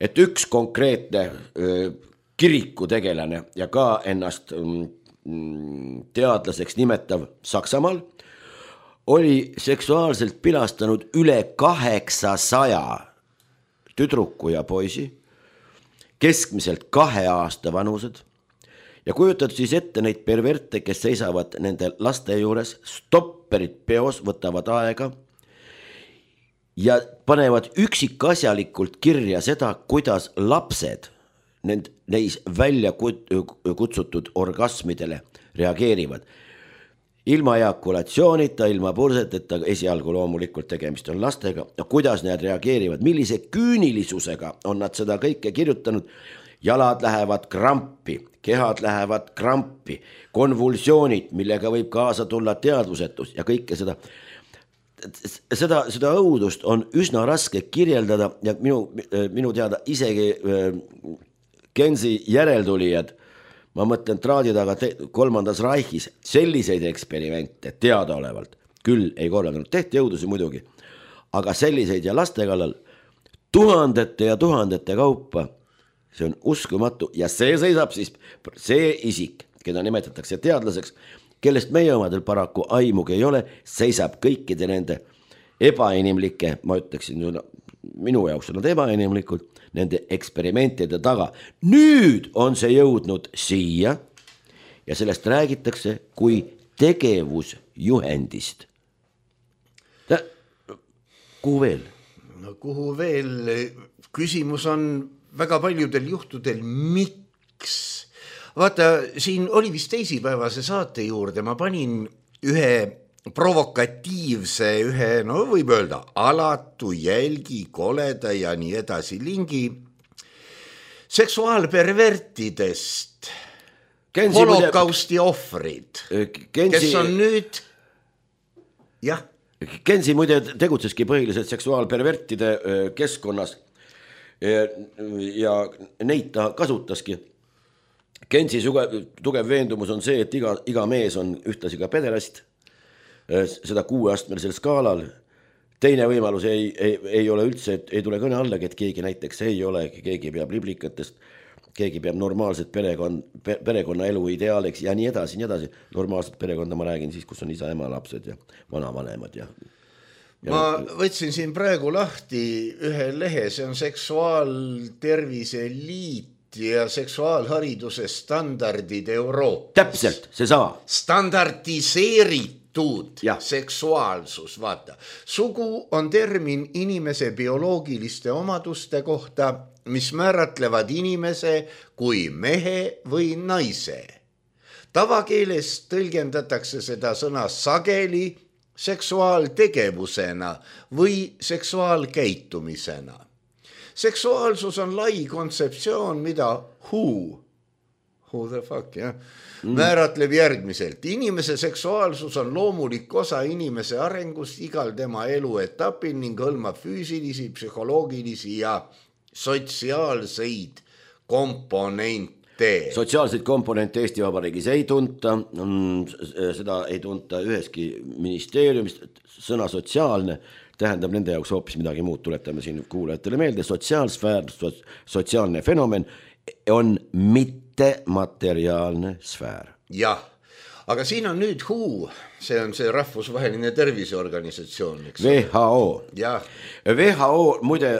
et üks konkreetne kirikutegelane ja ka ennast teadlaseks nimetav Saksamaal oli seksuaalselt pilastanud üle 800 tüdruku ja poisi, keskmiselt 2 aasta vanused ja kujutad siis ette neid perverte, kes seisavad nende laste juures, stopperid peos võtavad aega ja panevad üksikasjalikult kirja seda, kuidas lapsed neis välja kutsutud orgasmidele reageerivad. Ilma ejakulatsioonita, ilma purseteta, esialgu loomulikult tegemist on lastega, ja kuidas nad reageerivad, millise küünilisusega on nad seda kõike kirjutanud, jalad lähevad krampi, kehad lähevad krampi, konvulsioonid, millega võib kaasa tulla teadvusetus ja kõike seda õudust on üsna raske kirjeldada ja minu teada isegi Gensi järeltulijad, ma mõtlen traadi taga 3. Reichis, selliseid eksperimente teadaolevalt küll ei korraldanud, tehti õudusi muidugi, aga selliseid ja laste kallal tuhandete ja tuhandete kaupa, see on uskumatu ja see seisab siis see isik, keda nimetatakse teadlaseks, kellest meie omadel paraku aimugi ei ole, seisab kõikide nende ebainimlike, ma ütleksin, minu jaoks on nad ebainimlikud, nende eksperimentide taga. Nüüd on see jõudnud siia ja sellest räägitakse kui tegevusjuhendist. Kuhu veel? No kuhu veel? Küsimus on väga paljudel juhtudel, miks? Vaata, siin oli vist teisipäevase saate juurde, ma panin ühe provokatiivse, võib öelda, alatu, jälgi, koleda ja nii edasi lingi seksuaalpervertidest, holokausti ohvrid, kes on nüüd, jah. Gensi muide tegutseski põhiliselt seksuaalpervertide keskkonnas ja neid ta kasutaski. Gensi tugev veendumus on see, et iga mees on ühtlasi ka pederast, seda 6-astmelisel skaalal. Teine võimalus ei ole üldse, et ei tule kõne allagi, et keegi näiteks ei ole, keegi peab liblikatest, keegi peab normaalset perekonna elu ideaaliks ja nii edasi, nii edasi. Normaalset perekonda ma räägin siis, kus on isa, ema, lapsed ja vanavanemad. Ma võtsin siin praegu lahti ühe lehe, see on Seksuaaltervise Liit ja seksuaalhariduse standardid Euroopas. Täpselt, see sama. Standardiseeritud seksuaalsus, vaata. Sugu on termin inimese bioloogiliste omaduste kohta, mis määratlevad inimese kui mehe või naise. Tavakeeles tõlgendatakse seda sõna sageli seksuaaltegevusena või seksuaalkäitumisena. Seksuaalsus on lai kontseptsioon, mida who the fuck, jah, määratleb järgmiselt. Inimese seksuaalsus on loomulik osa inimese arengust igal tema eluetapil ning hõlmab füüsilisi, psühholoogilisi ja sotsiaalseid komponente. Sotsiaalseid komponente Eesti Vabariigis ei tunta, seda ei tunta üheski ministeeriumist, sõna sotsiaalne tähendab nende jaoks hoopis midagi muud, tuletame siin kuulajatele meelde, sotsiaalsfäär, sotsiaalne fenomen on mittemateriaalne sfäär. Jah, aga siin on nüüd WHO, see on see rahvusvaheline terviseorganisatsioon. WHO. Jah. WHO, muide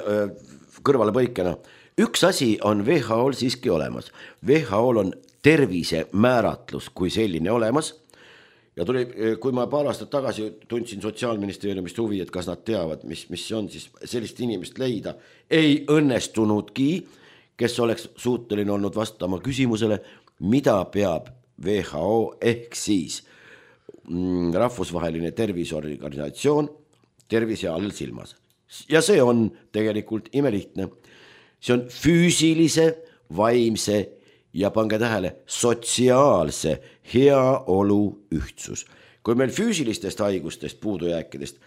kõrvale põikena, üks asi on WHO-l siiski olemas. WHO-l on tervise määratlus kui selline olemas. Ja tuli, kui ma paar aastat tagasi tundsin Sotsiaalministeeriumist huvi, et kas nad teavad, mis on, siis sellist inimest leida ei õnnestunudki, kes oleks suuteline olnud vastama küsimusele, mida peab WHO ehk siis rahvusvaheline terviseorganisatsioon tervise all silmas. Ja see on tegelikult imelihtne. See on füüsilise, vaimse ja pange tähele, sotsiaalse heaolu ühtsus. Kui meil füüsilistest haigustest, puudujääkidest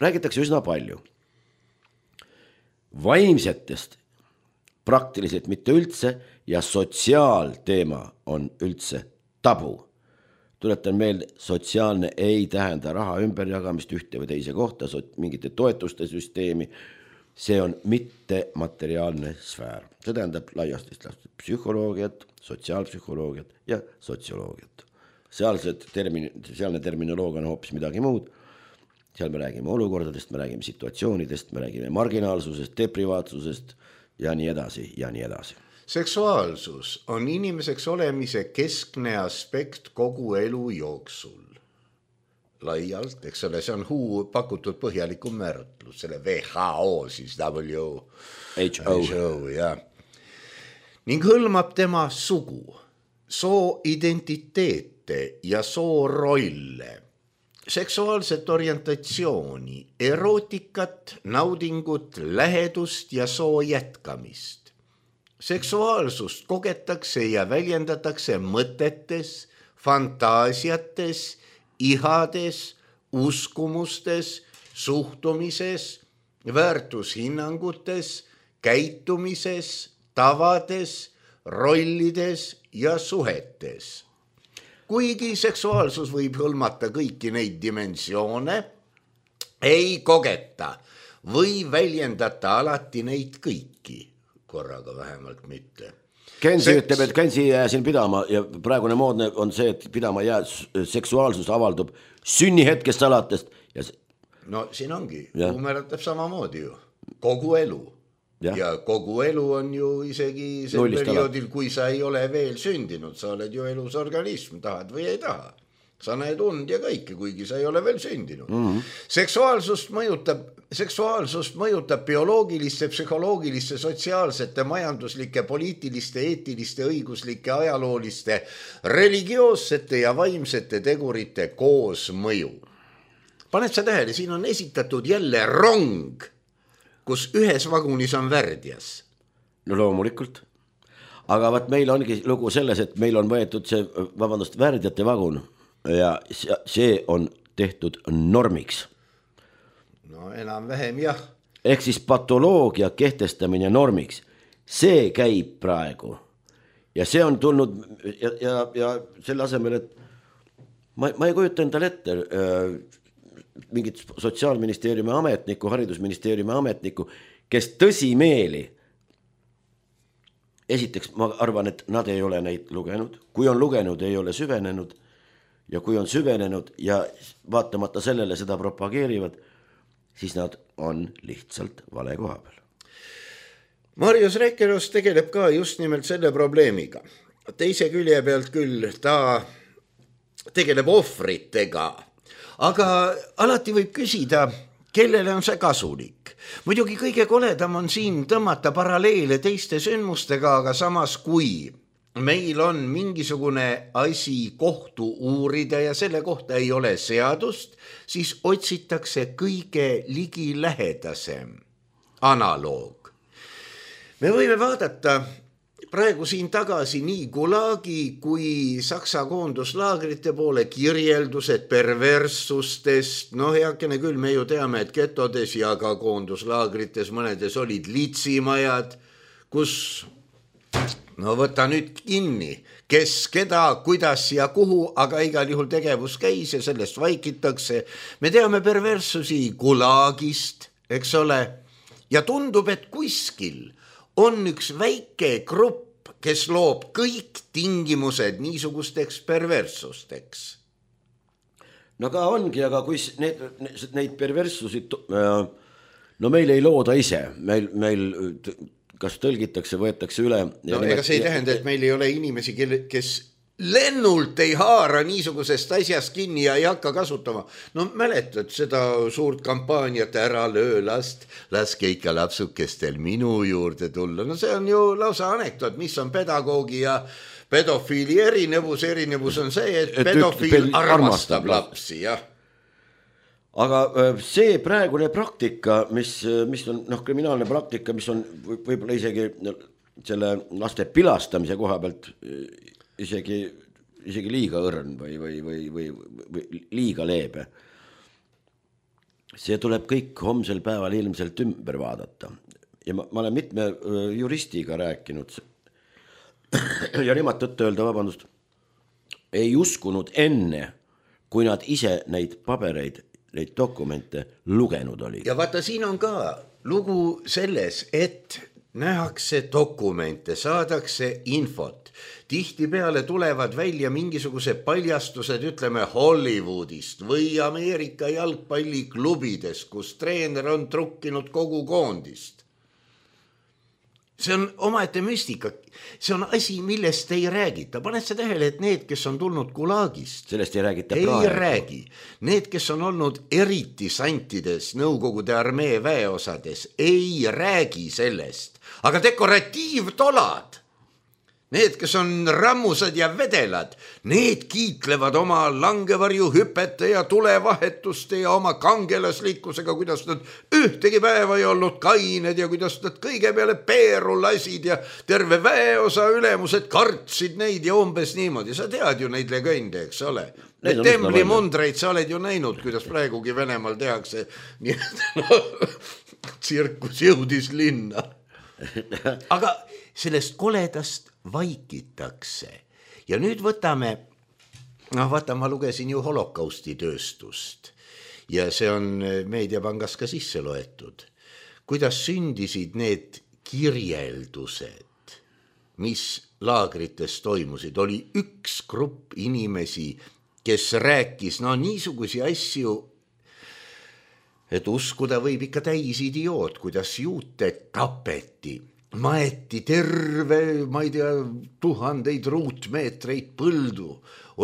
räägitakse üsna palju, vaimsetest praktiliselt mitte üldse ja sotsiaalteema on üldse tabu. Tuletan meelde, sotsiaalne ei tähenda raha ümberjagamist ühte või teise kohta, mingite toetuste süsteemi, see on mitte materiaalne sfäär. See tähendab laiastist psühholoogiat, sotsiaalpsühholoogiat ja sotsioloogiat. Sealne terminoloogia on hoopis midagi muud. Seal me räägime olukordadest, me räägime situatsioonidest, me räägime marginaalsusest, deprivaatsusest ja nii edasi ja nii edasi. Seksuaalsus on inimeseks olemise keskne aspekt kogu elu jooksul. Laialt, eks ole, see on pakutud põhjalikum määratlus, selle WHO, siis WHO, ja. Ning hõlmab tema sugu, soo identiteete ja soo rolle, seksuaalset orientatsiooni, erootikat, naudingut, lähedust ja soo jätkamist. Seksuaalsust kogetakse ja väljendatakse mõtetes, fantaasiates, ihades, uskumustes, suhtumises, väärtushinnangutes, käitumises, tavades, rollides ja suhetes. Kuigi seksuaalsus võib hõlmata kõiki neid dimensioone, ei kogeta või väljendata alati neid kõiki, korraga vähemalt mitte. Kensi ütleb, et Kensi jää siin pidama ja praegune moodne on see, et pidama jää, seksuaalsus avaldub sünnihetkest alates. No siin ongi, määratab samamoodi ju, kogu elu. Ja kogu elu on ju isegi sel perioodil, kui sa ei ole veel sündinud, sa oled ju elus organism, tahad või ei taha. Sa näed und ja kõike, kuigi sa ei ole veel sündinud. Seksuaalsust mõjutab bioloogiliste, psühholoogiliste, sotsiaalsete, majanduslike, poliitiliste, eetiliste, õiguslike, ajalooliste, religioossete ja vaimsete tegurite koosmõju. Paned sa tähele, siin on esitatud jälle rong, kus ühes vagunis on värdjas. No loomulikult. Aga vaat meil ongi lugu selles, et meil on võetud see, värdjate vagun ja see on tehtud normiks. No enam-vähem jah. Ehk siis patoloogia kehtestamine normiks. See käib praegu. Ja see on tulnud ja selle asemel, et ma ei kujuta endale ette mingit sotsiaalministeeriumi ametniku, haridusministeeriumi ametniku, kes tõsimeeli, esiteks ma arvan, et nad ei ole neid lugenud, kui on lugenud, ei ole süvenenud ja kui on süvenenud ja vaatamata sellele seda propageerivad, siis nad on lihtsalt vale koha peal. Marius Rekeros tegeleb ka just nimelt selle probleemiga. Teise külje pealt küll ta tegeleb ohvritega, aga alati võib küsida, kellele on see kasulik. Muidugi kõige koledam on siin tõmmata paralleele teiste sündmustega, aga samas kui meil on mingisugune asi kohtu uurida ja selle kohta ei ole seadust, siis otsitakse kõige ligilähedasem analoog. Me võime vaadata praegu siin tagasi nii Gulagi kui Saksa koonduslaagrite poole kirjeldused perverssustest. No heakene küll, me ju teame, et getodes ja ka koonduslaagrites mõnedes olid litsimajad, kus, no võta nüüd kinni, kes, keda, kuidas ja kuhu, aga igal juhul tegevus käis ja sellest vaikitakse. Me teame perverssusi Gulagist, eks ole, ja tundub, et kuskil on üks väike grupp, kes loob kõik tingimused niisugusteks perverssusteks. No ka ongi, aga kui neid perverssusi, no meil ei looda ise, meil kas tõlgitakse, võetakse üle. No ega see ei tähenda, et meil ei ole inimesi, kes lennult ei haara niisugusest asjast kinni ja ei hakka kasutama. No mäletad seda suurt kampaaniat ära löö last, laske ikka lapsukestel minu juurde tulla. No see on ju lausa anekdoot, mis on pedagoogi ja pedofiili erinevus on see, et pedofiil armastab lapsi, jah. Aga see praegune praktika, mis on kriminaalne praktika, mis on võib-olla isegi selle laste pilastamise koha pealt isegi liiga õrn või liiga leebe. See tuleb kõik homsel päeval ilmselt ümber vaadata. Ja ma olen mitme juristiga rääkinud ja nemad tõtt öelda, vabandust, ei uskunud enne, kui nad ise neid pabereid, neid dokumente lugenud olid. Ja vaata, siin on ka lugu selles, et nähakse dokumente, saadakse infot. Tihtipeale tulevad välja mingisuguse paljastused, ütleme Hollywoodist või Ameerika jalgpalliklubides, kus treener on trukkinud kogu koondist. See on omaette müstika. See on asi, millest ei räägita. Paned sa tähele, et need, kes on tulnud Gulagist, sellest ei räägita praegu. Ei räägi. Need, kes on olnud eriti santides Nõukogude armee väeosades, ei räägi sellest. Aga dekoratiivtolad, need, kes on rammusad ja vedelad, need kiitlevad oma langevarjuhüpete ja tulevahetuste ja oma kangelaslikkusega, kuidas nad ühtegi päeva ei olnud kained ja kuidas nad kõige peale peeru lasid ja terve väeosa ülemused kartsid neid ja umbes niimoodi. Sa tead ju neid legende, eks ole? Need temblimundreid sa oled ju näinud, kuidas praegugi Venemaal tehakse. Nii et tsirkus jõudis linna. Aga sellest koledast vaikitakse. Ja nüüd võtame, vaata, ma lugesin ju holokausti tööstust ja see on Meediapangas ka sisse loetud. Kuidas sündisid need kirjeldused, mis laagrites toimusid. Oli üks grupp inimesi, kes rääkis niisugusi asju, et uskuda võib ikka täis idioot, kuidas juute tapeti. Maeti terve, ma ei tea, 1000 ruutmeetreid põldu.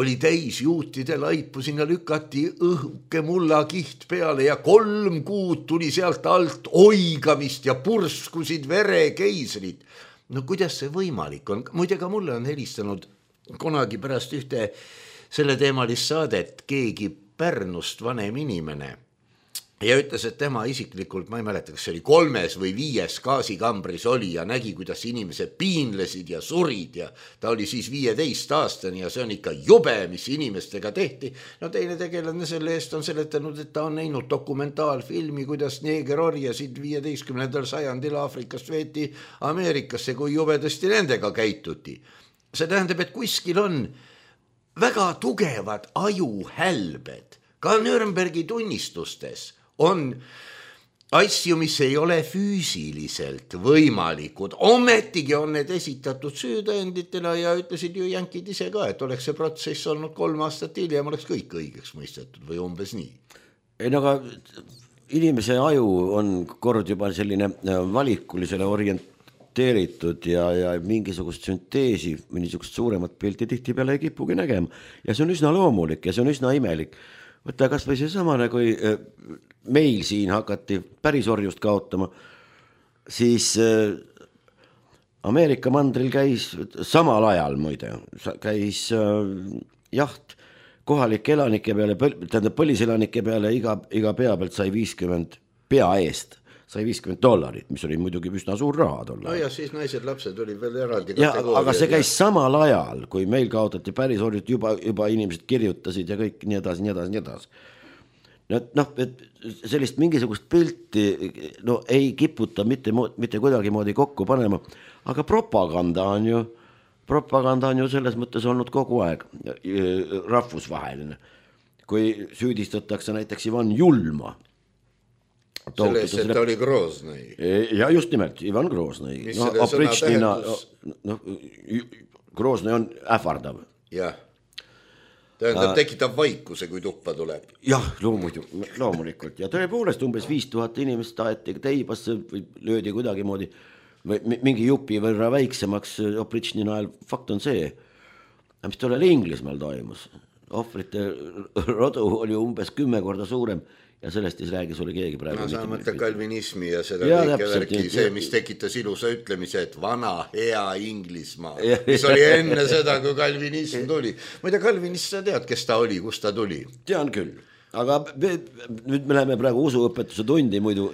Oli täis juutide laipu, sinna lükati õhke mullakiht peale ja 3 kuud tuli sealt alt oigamist ja purskusid verekeisrid. No kuidas see võimalik on? Muide, ka mulle on helistanud kunagi pärast ühte selle teemalist saadet keegi Pärnust vanem inimene. Ja ütles, et tema isiklikult, ma ei mäleta, kas see oli 3. või 5. gaasikambris oli ja nägi, kuidas inimesed piinlesid ja surid ja ta oli siis 15 aastani ja see on ikka jube, mis inimestega tehti. No teine tegelane selle eest on seletanud, et ta on näinud dokumentaalfilmi, kuidas neegerorjasid 15. sajandil Aafrikast veeti Ameerikasse, kui jubedasti nendega käituti. See tähendab, et kuskil on väga tugevad ajuhälbed, ka Nürnbergi tunnistustes on asju, mis ei ole füüsiliselt võimalikud. Ometigi on need esitatud süütõenditena ja ütlesid ju jänkid ise ka, et oleks see protsess olnud 3 aastat hiljem, oleks kõik õigeks mõistetud või umbes nii. Ei, aga inimese aju on kord juba selline valikulisele orienteeritud ja mingisugust sünteesi või niisugust suuremat pilti tihtipeale ei kipugi nägema. Ja see on üsna loomulik ja see on üsna imelik. Võtta kas või see samane, kui meil siin hakati pärisorjust kaotama, siis Ameerika mandril käis samal ajal muide, käis jaht kohalike elanike peale, tähendab põliselanike peale iga pea pealt sai 50 pea eest. Sai $50, mis oli muidugi üsna suur raha tolle. No ja siis naised, lapsed oli veel eraldi kategooria. Aga see käis samal ajal, kui meil kaotati pärisorjut, juba inimesed kirjutasid ja kõik nii edasi. Et sellist mingisugust pilti ei kiputa mitte kuidagi moodi kokku panema, aga propaganda on ju selles mõttes olnud kogu aeg rahvusvaheline. Kui süüdistatakse näiteks Ivan Julma, sellest, et ta oli Groznõi. Ja just nimelt, Ivan Groznõi. Mis selle sõna tähendus? Groznõi on ähvardav. Jah. Tähendab, tekitab vaikuse, kui tuppa tuleb. Jah, loomulikult. Ja tõepoolest umbes 5000 inimest taeti teibasse või löödi kuidagi moodi mingi jupi võrra väiksemaks Opritšni najal. Fakt on see, mis tollel Inglismaal toimus. Ohvrite rodu oli umbes 10 korda suurem ja sellest ei räägi sulle keegi praegu. Sa mõtled kalvinismi ja seda kõike värki, see, mis tekitas ilusa ütlemise, et vana hea Inglismaa, mis oli enne seda, kui kalvinism tuli. Muide, kalvinist sa tead, kes ta oli, kus ta tuli? Tean küll, aga nüüd me läheme praegu usuõpetuse tundi muidu.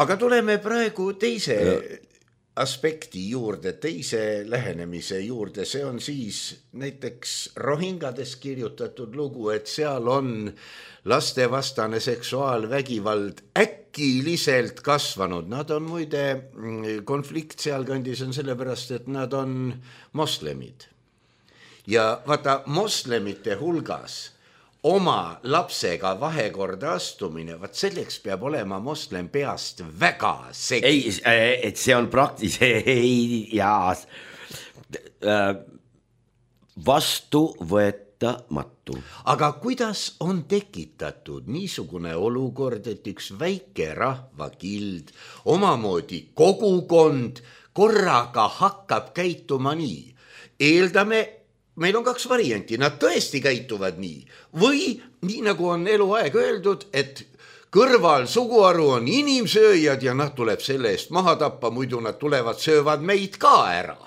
Aga tuleme praegu teise aspekti juurde, teise lähenemise juurde, see on siis näiteks Rohingades kirjutatud lugu, et seal on lastevastane seksuaalvägivald äkiliselt kasvanud. Nad on muide, konflikt sealkandis on sellepärast, et nad on moslemid. Ja vaata, moslemite hulgas oma lapsega vahekorda astumine, vaat selleks peab olema moslem peast väga segi. Ei, et see on vastuvõetamatu. Aga kuidas on tekitatud niisugune olukord, et üks väike rahvakild, omamoodi kogukond korraga hakkab käituma nii? Eeldame, meil on 2 varianti, nad tõesti käituvad nii või nii nagu on eluaeg öeldud, et kõrval suguharu on inimsööjad ja nad tuleb selle eest maha tappa, muidu nad tulevad, söövad meid ka ära.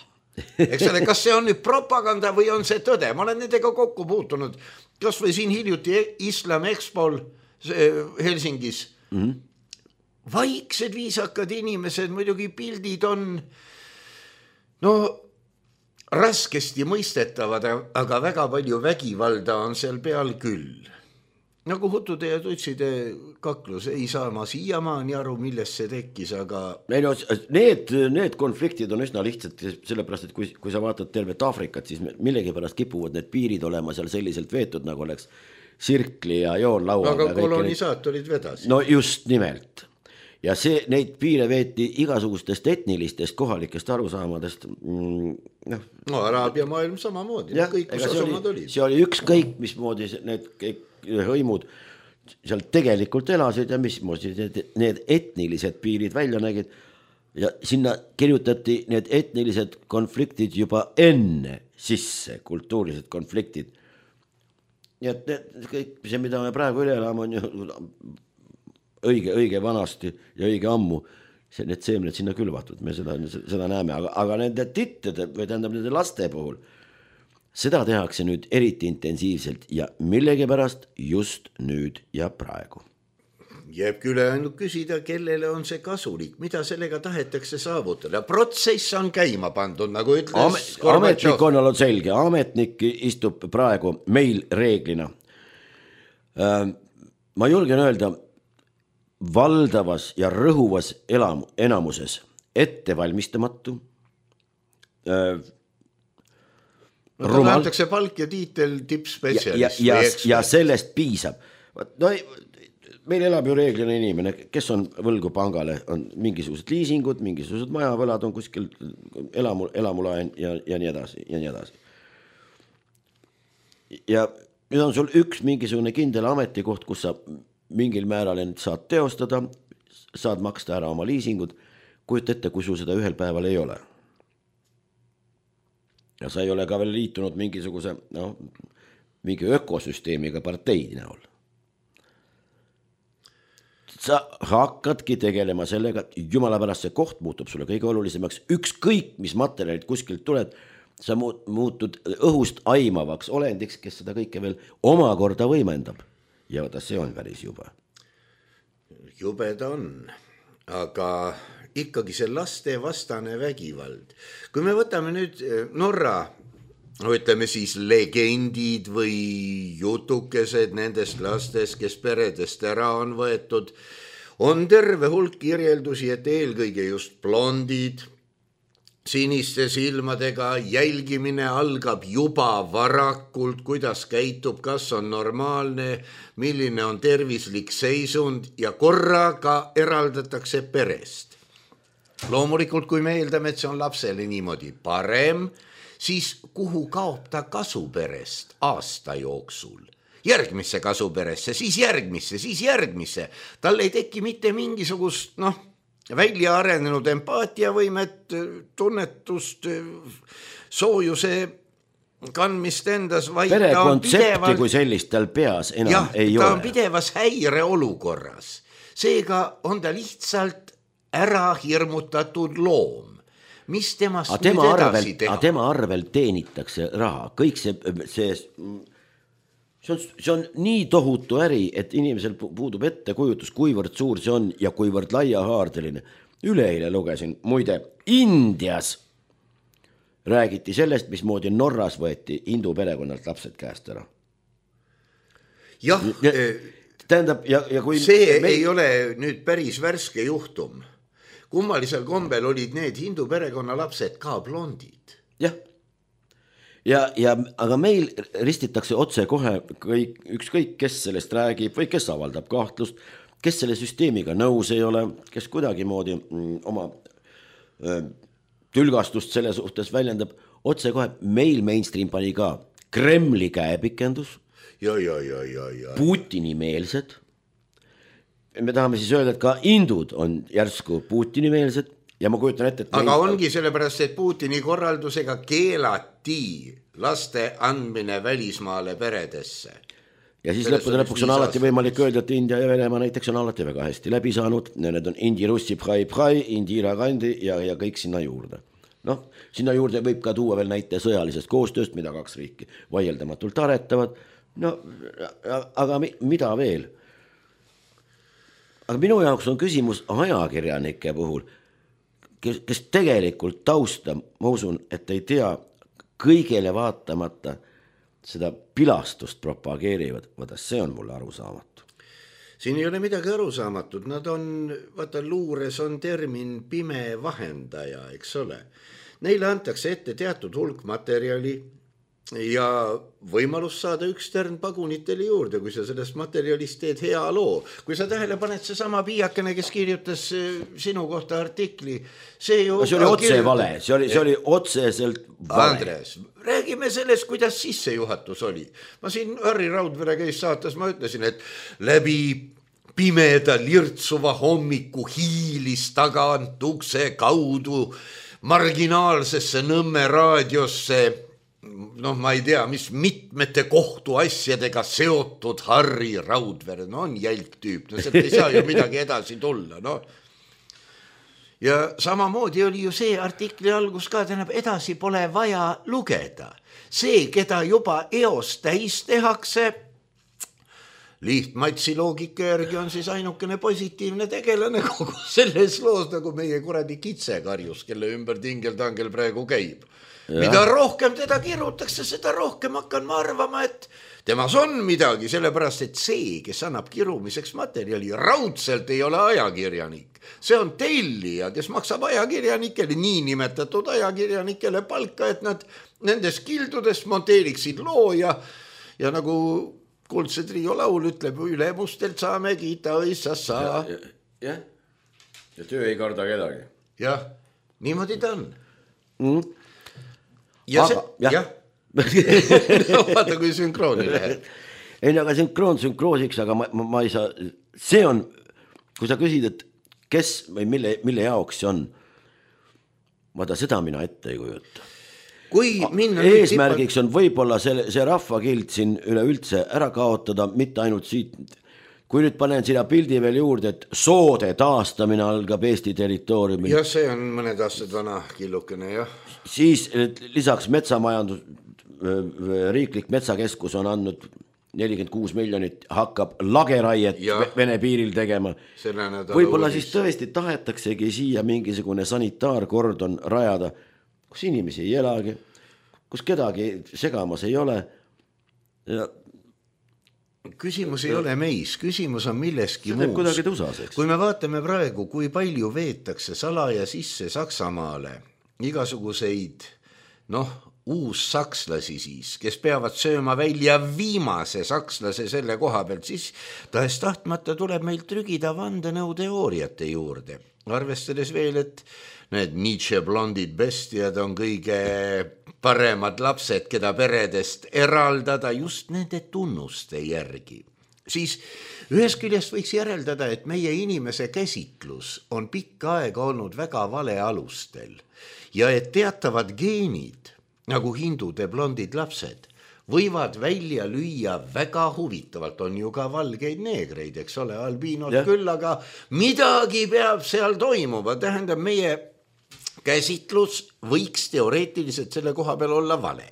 Eks ole, kas see on nüüd propaganda või on see tõde? Ma olen nendega kokku puutunud, kas või siin hiljuti Islam Expol Helsingis. Vaiksed, viisakad inimesed, muidugi pildid on raskesti mõistetavad, aga väga palju vägivalda on seal peal küll. Nagu hutude ja tutside kaklus, ei saa ma siiamaani aru, millest see tekkis, aga... Need konfliktid on üsna lihtsalt, sellepärast, et kui sa vaatad tervet Aafrikat, siis millegipärast kipuvad need piirid olema seal selliselt veetud, nagu oleks sirkli ja joonlaua. Aga kolonisaatorid vedas. No just nimelt. Ja neid piire veeti igasugustest etnilistest kohalikest arusaamadest. Araabia maailm samamoodi, kõik kus asumad olid. See oli ükskõik, mismoodi need hõimud seal tegelikult elasid ja mismoodi need etnilised piirid välja nägid. Ja sinna kirjutati need etnilised konfliktid juba enne sisse, kultuurilised konfliktid. Ja kõik see, mida me praegu üle elame, on ju... õige vanasti ja õige ammu need seemned sinna külvatud, me seda näeme, aga nende tittede või tähendab nende laste puhul seda tehakse nüüd eriti intensiivselt ja millegipärast just nüüd ja praegu. Jääb küll ainult küsida, kellele on see kasulik, mida sellega tahetakse saavutada. Protsess on käima pandud, nagu ütles Ametnik on olnud selge, ametnik istub praegu meil reeglina. Ma julgen öelda, valdavas ja rõhuvas enamuses ettevalmistamatu, antakse palk ja tiitel tippspetsialist. Ja sellest piisab. Meil elab ju reeglina inimene, kes on võlgu pangale, on mingisugused liisingud, mingisugused majavõlad on kuskil elamulaen ja nii edasi ja nii edasi. Ja nüüd on sul üks mingisugune kindel ametikoht, kus sa mingil määral saad teostada, saad maksta ära oma liisingud, kujuta ette, kui sul seda ühel päeval ei ole. Ja sa ei ole ka veel liitunud mingisuguse, mingi ökosüsteemiga partei näol. Sa hakkadki tegelema sellega, jumala pärast see koht muutub sulle kõige olulisemaks, ükskõik mis materjalid kuskilt tuled, sa muutud õhust aimavaks olendiks, kes seda kõike veel omakorda võimendab. Ja see on päris jube. Jubeda on, aga ikkagi see laste vastane vägivald. Kui me võtame nüüd Norra, ütleme siis legendid või jutukesed nendest lastest, kes peredest ära on võetud, on terve hulk kirjeldusi, et eelkõige just blondid, siniste silmadega, jälgimine algab juba varakult, kuidas käitub, kas on normaalne, milline on tervislik seisund ja korraga eraldatakse perest. Loomulikult, kui me eeldame, et see on lapsele niimoodi parem, siis kuhu kaob ta kasuperest aasta jooksul? Järgmisse kasuperesse, siis järgmisse. Tal ei teki mitte mingisugust, välja arenenud empaatiavõimet, tunnetust, soojuse kandmist endas, vaid ta on pidevalt, kui sellist tal peas enam ei ole. Ta on pidevas häire olukorras. Seega on ta lihtsalt ära hirmutatud loom. Mis temast nüüd edasi teha? Tema arvel teenitakse raha. Kõik see on nii tohutu äri, et inimesel puudub ettekujutus, kuivõrd suur see on ja kuivõrd laiahaardeline. üleeile lugesin, muide Indias räägiti sellest, mismoodi Norras võeti hindu perekonnalt lapsed käest ära. Jah, tähendab, ja kui see ei ole nüüd päris värske juhtum. Kummalisel kombel olid need hindu perekonna lapsed ka blondid. Jah, aga meil ristitakse otse kohe ükskõik, kes sellest räägib või kes avaldab kahtlust, kes selle süsteemiga nõus ei ole, kes kuidagi moodi oma tülgastust selle suhtes väljendab, otse kohe meil mainstream pani ka Kremli käepikendus, Putini meelsed. Me tahame siis öelda, et ka hindud on järsku Putini meelsed ja ma kujutan ette, et aga ongi sellepärast, et Putini korraldusega keelati laste andmine välismaale peredesse. Ja siis lõpuks on alati võimalik öelda, et India ja Venemaa näiteks on alati väga hästi läbi saanud. Need on Indi, Russi, Bhai, Indira Gandhi ja kõik sinna juurde. Noh, sinna juurde võib ka tuua veel näite sõjalisest koostööst, mida kaks riiki vaieldamatult aretavad. No, aga mida veel? Aga minu jaoks on küsimus ajakirjanike puhul, kes tegelikult tausta, ma usun, et ei tea kõigele vaatamata seda pilastust propageerivad, vaata see on mulle arusaamatu. Siin ei ole midagi arusaamatut, nad on, vaata luures on termin pime vahendaja, eks ole. Neile antakse ette teatud hulk materjali ja võimalus saada üks tärn pagunitele juurde, kui sa sellest materjalist teed hea loo. Kui sa tähele paned see sama piiakene, kes kirjutas sinu kohta artikli, see oli otse vale, see oli otseselt vale. Andres, räägime sellest, kuidas sissejuhatus oli. Ma siin Harri Raudvere käis saates, ma ütlesin, et läbi pimeda lirtsuva hommiku hiilis tagant ukse kaudu marginaalsesse Nõmme raadiosse, ma ei tea, mis mitmete kohtuasjadega seotud Harri Raudvere, on jälg tüüp, sealt ei saa ju midagi edasi tulla, Ja samamoodi oli ju see artikli algus ka, tähendab, edasi pole vaja lugeda. See, keda juba eos täis tehakse, lihtmatsi loogika järgi on siis ainukene positiivne tegelane kogu selles loos, nagu meie kuradi kitsekarjus, kelle ümber tingeltangel praegu käib. Ja. Mida rohkem teda kirutakse, seda rohkem hakkan ma arvama, et temas on midagi, sellepärast, et see, kes annab kirumiseks materjali, raudselt ei ole ajakirjanik. See on tellija, kes maksab ajakirjanikele, niinimetatud ajakirjanikele palka, et nad nendes kildudes monteeriksid loo ja nagu Kuldse Trio laul ütleb, ülemustelt saame kiita õissassa. Ja töö ei karda kedagi. Jah, niimoodi ta on. Jah. Vaata, kui sünkrooni läheb. Ei, aga sünkroosiks, aga ma ei saa, see on, kui sa küsid, et kes või mille jaoks see on, vaata seda mina ette ei kujuta. Eesmärgiks on võib-olla see rahvakild siin üleüldse ära kaotada, mitte ainult siit. Kui nüüd panen sinna pildi veel juurde, et soode taastamine algab Eesti territooriumil. Ja see on mõned aastad vana killukene, jah. Siis lisaks metsamajandus, riiklik metsakeskus on andnud 46 miljonit, hakkab lageraiet Vene piiril tegema. Võib-olla siis tõesti tahetaksegi siia mingisugune sanitaarkordon rajada, kus inimesi ei elagi, kus kedagi segamas ei ole. Küsimus ei ole meis, küsimus on milleski muus. Kui me vaatame praegu, kui palju veetakse salaja sisse Saksamaale igasuguseid, uussakslasi siis, kes peavad sööma välja viimase sakslase selle koha pealt, siis tahes tahtmata tuleb meil trügida vandenõuteooriate juurde. Arvestades veel, et need Nietzsche blondid bestiad on kõige paremad lapsed, keda peredest eraldada just nende tunnuste järgi. Siis ühest küljest võiks järeldada, et meie inimese käsitlus on pikka aega olnud väga vale alustel ja et teatavad geenid, nagu hindude blondid lapsed, võivad välja lüüa väga huvitavalt, on ju ka valgeid neegreid, eks ole, albiinod küll, aga midagi peab seal toimuma, tähendab meie käsitlus võiks teoreetiliselt selle koha peal olla vale.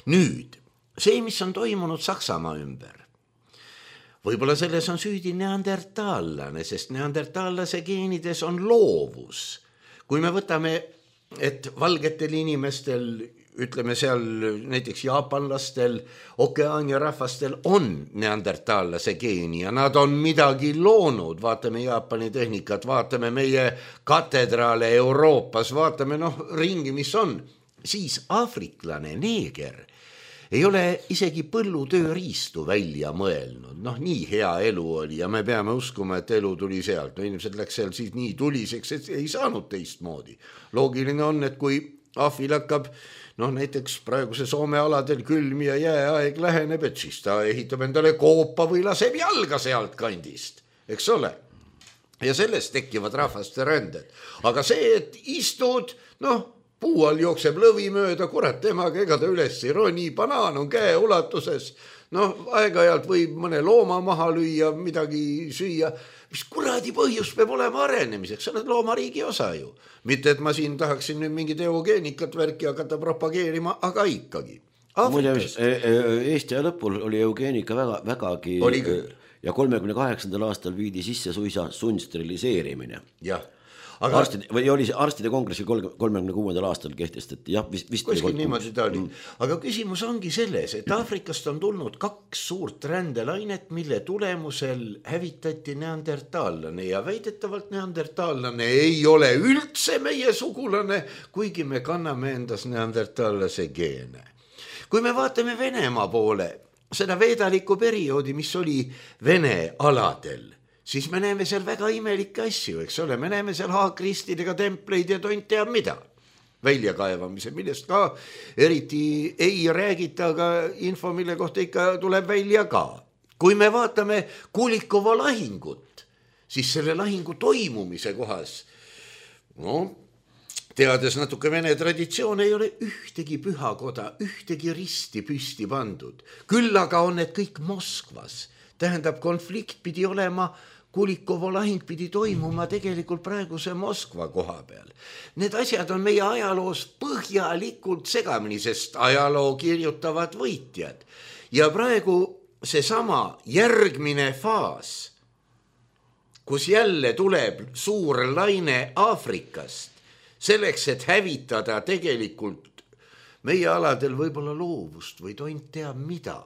Nüüd, see, mis on toimunud Saksamaa ümber, Võib-olla selles on süüdi neandertaallane, sest neandertaallase geenides on loovus. Kui me võtame, et valgetel inimestel, ütleme seal näiteks jaapanlastel, okeaania rahvastel on neandertaallase geeni ja nad on midagi loonud, vaatame Jaapani tehnikat, vaatame meie katedraale Euroopas, vaatame ringi, mis on, siis aafriklane, neeger ei ole isegi põllutööriistu välja mõelnud. Nii hea elu oli ja me peame uskuma, et elu tuli sealt. Inimesed läks seal siis nii tuliseks, et ei saanud teistmoodi. Loogiline on, et kui ahvil hakkab, näiteks praeguse Soome aladel külm ja jääaeg läheneb, et siis ta ehitab endale koopa või laseb jalga sealt kandist, eks ole. Ja sellest tekivad rahvaste ränded. Aga see, et istud, puu all jookseb lõvi mööda, kurat temaga, ega ta üles ei roni, banaan on käe ulatuses, aeg-ajalt võib mõne looma maha lüüa, midagi süüa, mis kuradi põhjus peab olema arenemiseks, sa oled loomariigi osa ju. Mitte, et ma siin tahaksin nüüd mingit eugeenikat värki hakata propageerima, aga ikkagi. Muide, Eesti lõpul oli eugeenika vägagi ja 38. aastal viidi sisse suisa sundsteriliseerimine. Jah. Arstide kongressil 36. aastal kehtestati, jah, vist kuskil niimoodi ta oli. Aga küsimus ongi selles, et Aafrikast on tulnud 2 suurt rändelainet, mille tulemusel hävitati neandertaallane ja väidetavalt neandertaallane ei ole üldse meie sugulane, kuigi me kanname endas neandertaallase geene. Kui me vaatame Venemaa poole, seda veedaliku perioodi, mis oli Vene aladel, siis me näeme seal väga imelikke asju, eks ole, me näeme seal haakristidega templeid ja tont teab mida. Väljakaevamise, millest ka eriti ei räägita, aga info, mille kohta ikka tuleb välja ka. Kui me vaatame Kulikova lahingut, siis selle lahingu toimumise kohas, teades natuke Vene traditsioon, ei ole ühtegi pühakoda, ühtegi risti püsti pandud. Küll aga on need kõik Moskvas. Tähendab, konflikt pidi olema, Kulikovo lahing pidi toimuma tegelikult praeguse Moskva koha peal. Need asjad on meie ajaloos põhjalikult segamini, sest ajaloo kirjutavad võitjad. Ja praegu seesama järgmine faas, kus jälle tuleb suur laine Aafrikast, selleks, et hävitada tegelikult meie aladel võib-olla loovust või tont teab mida.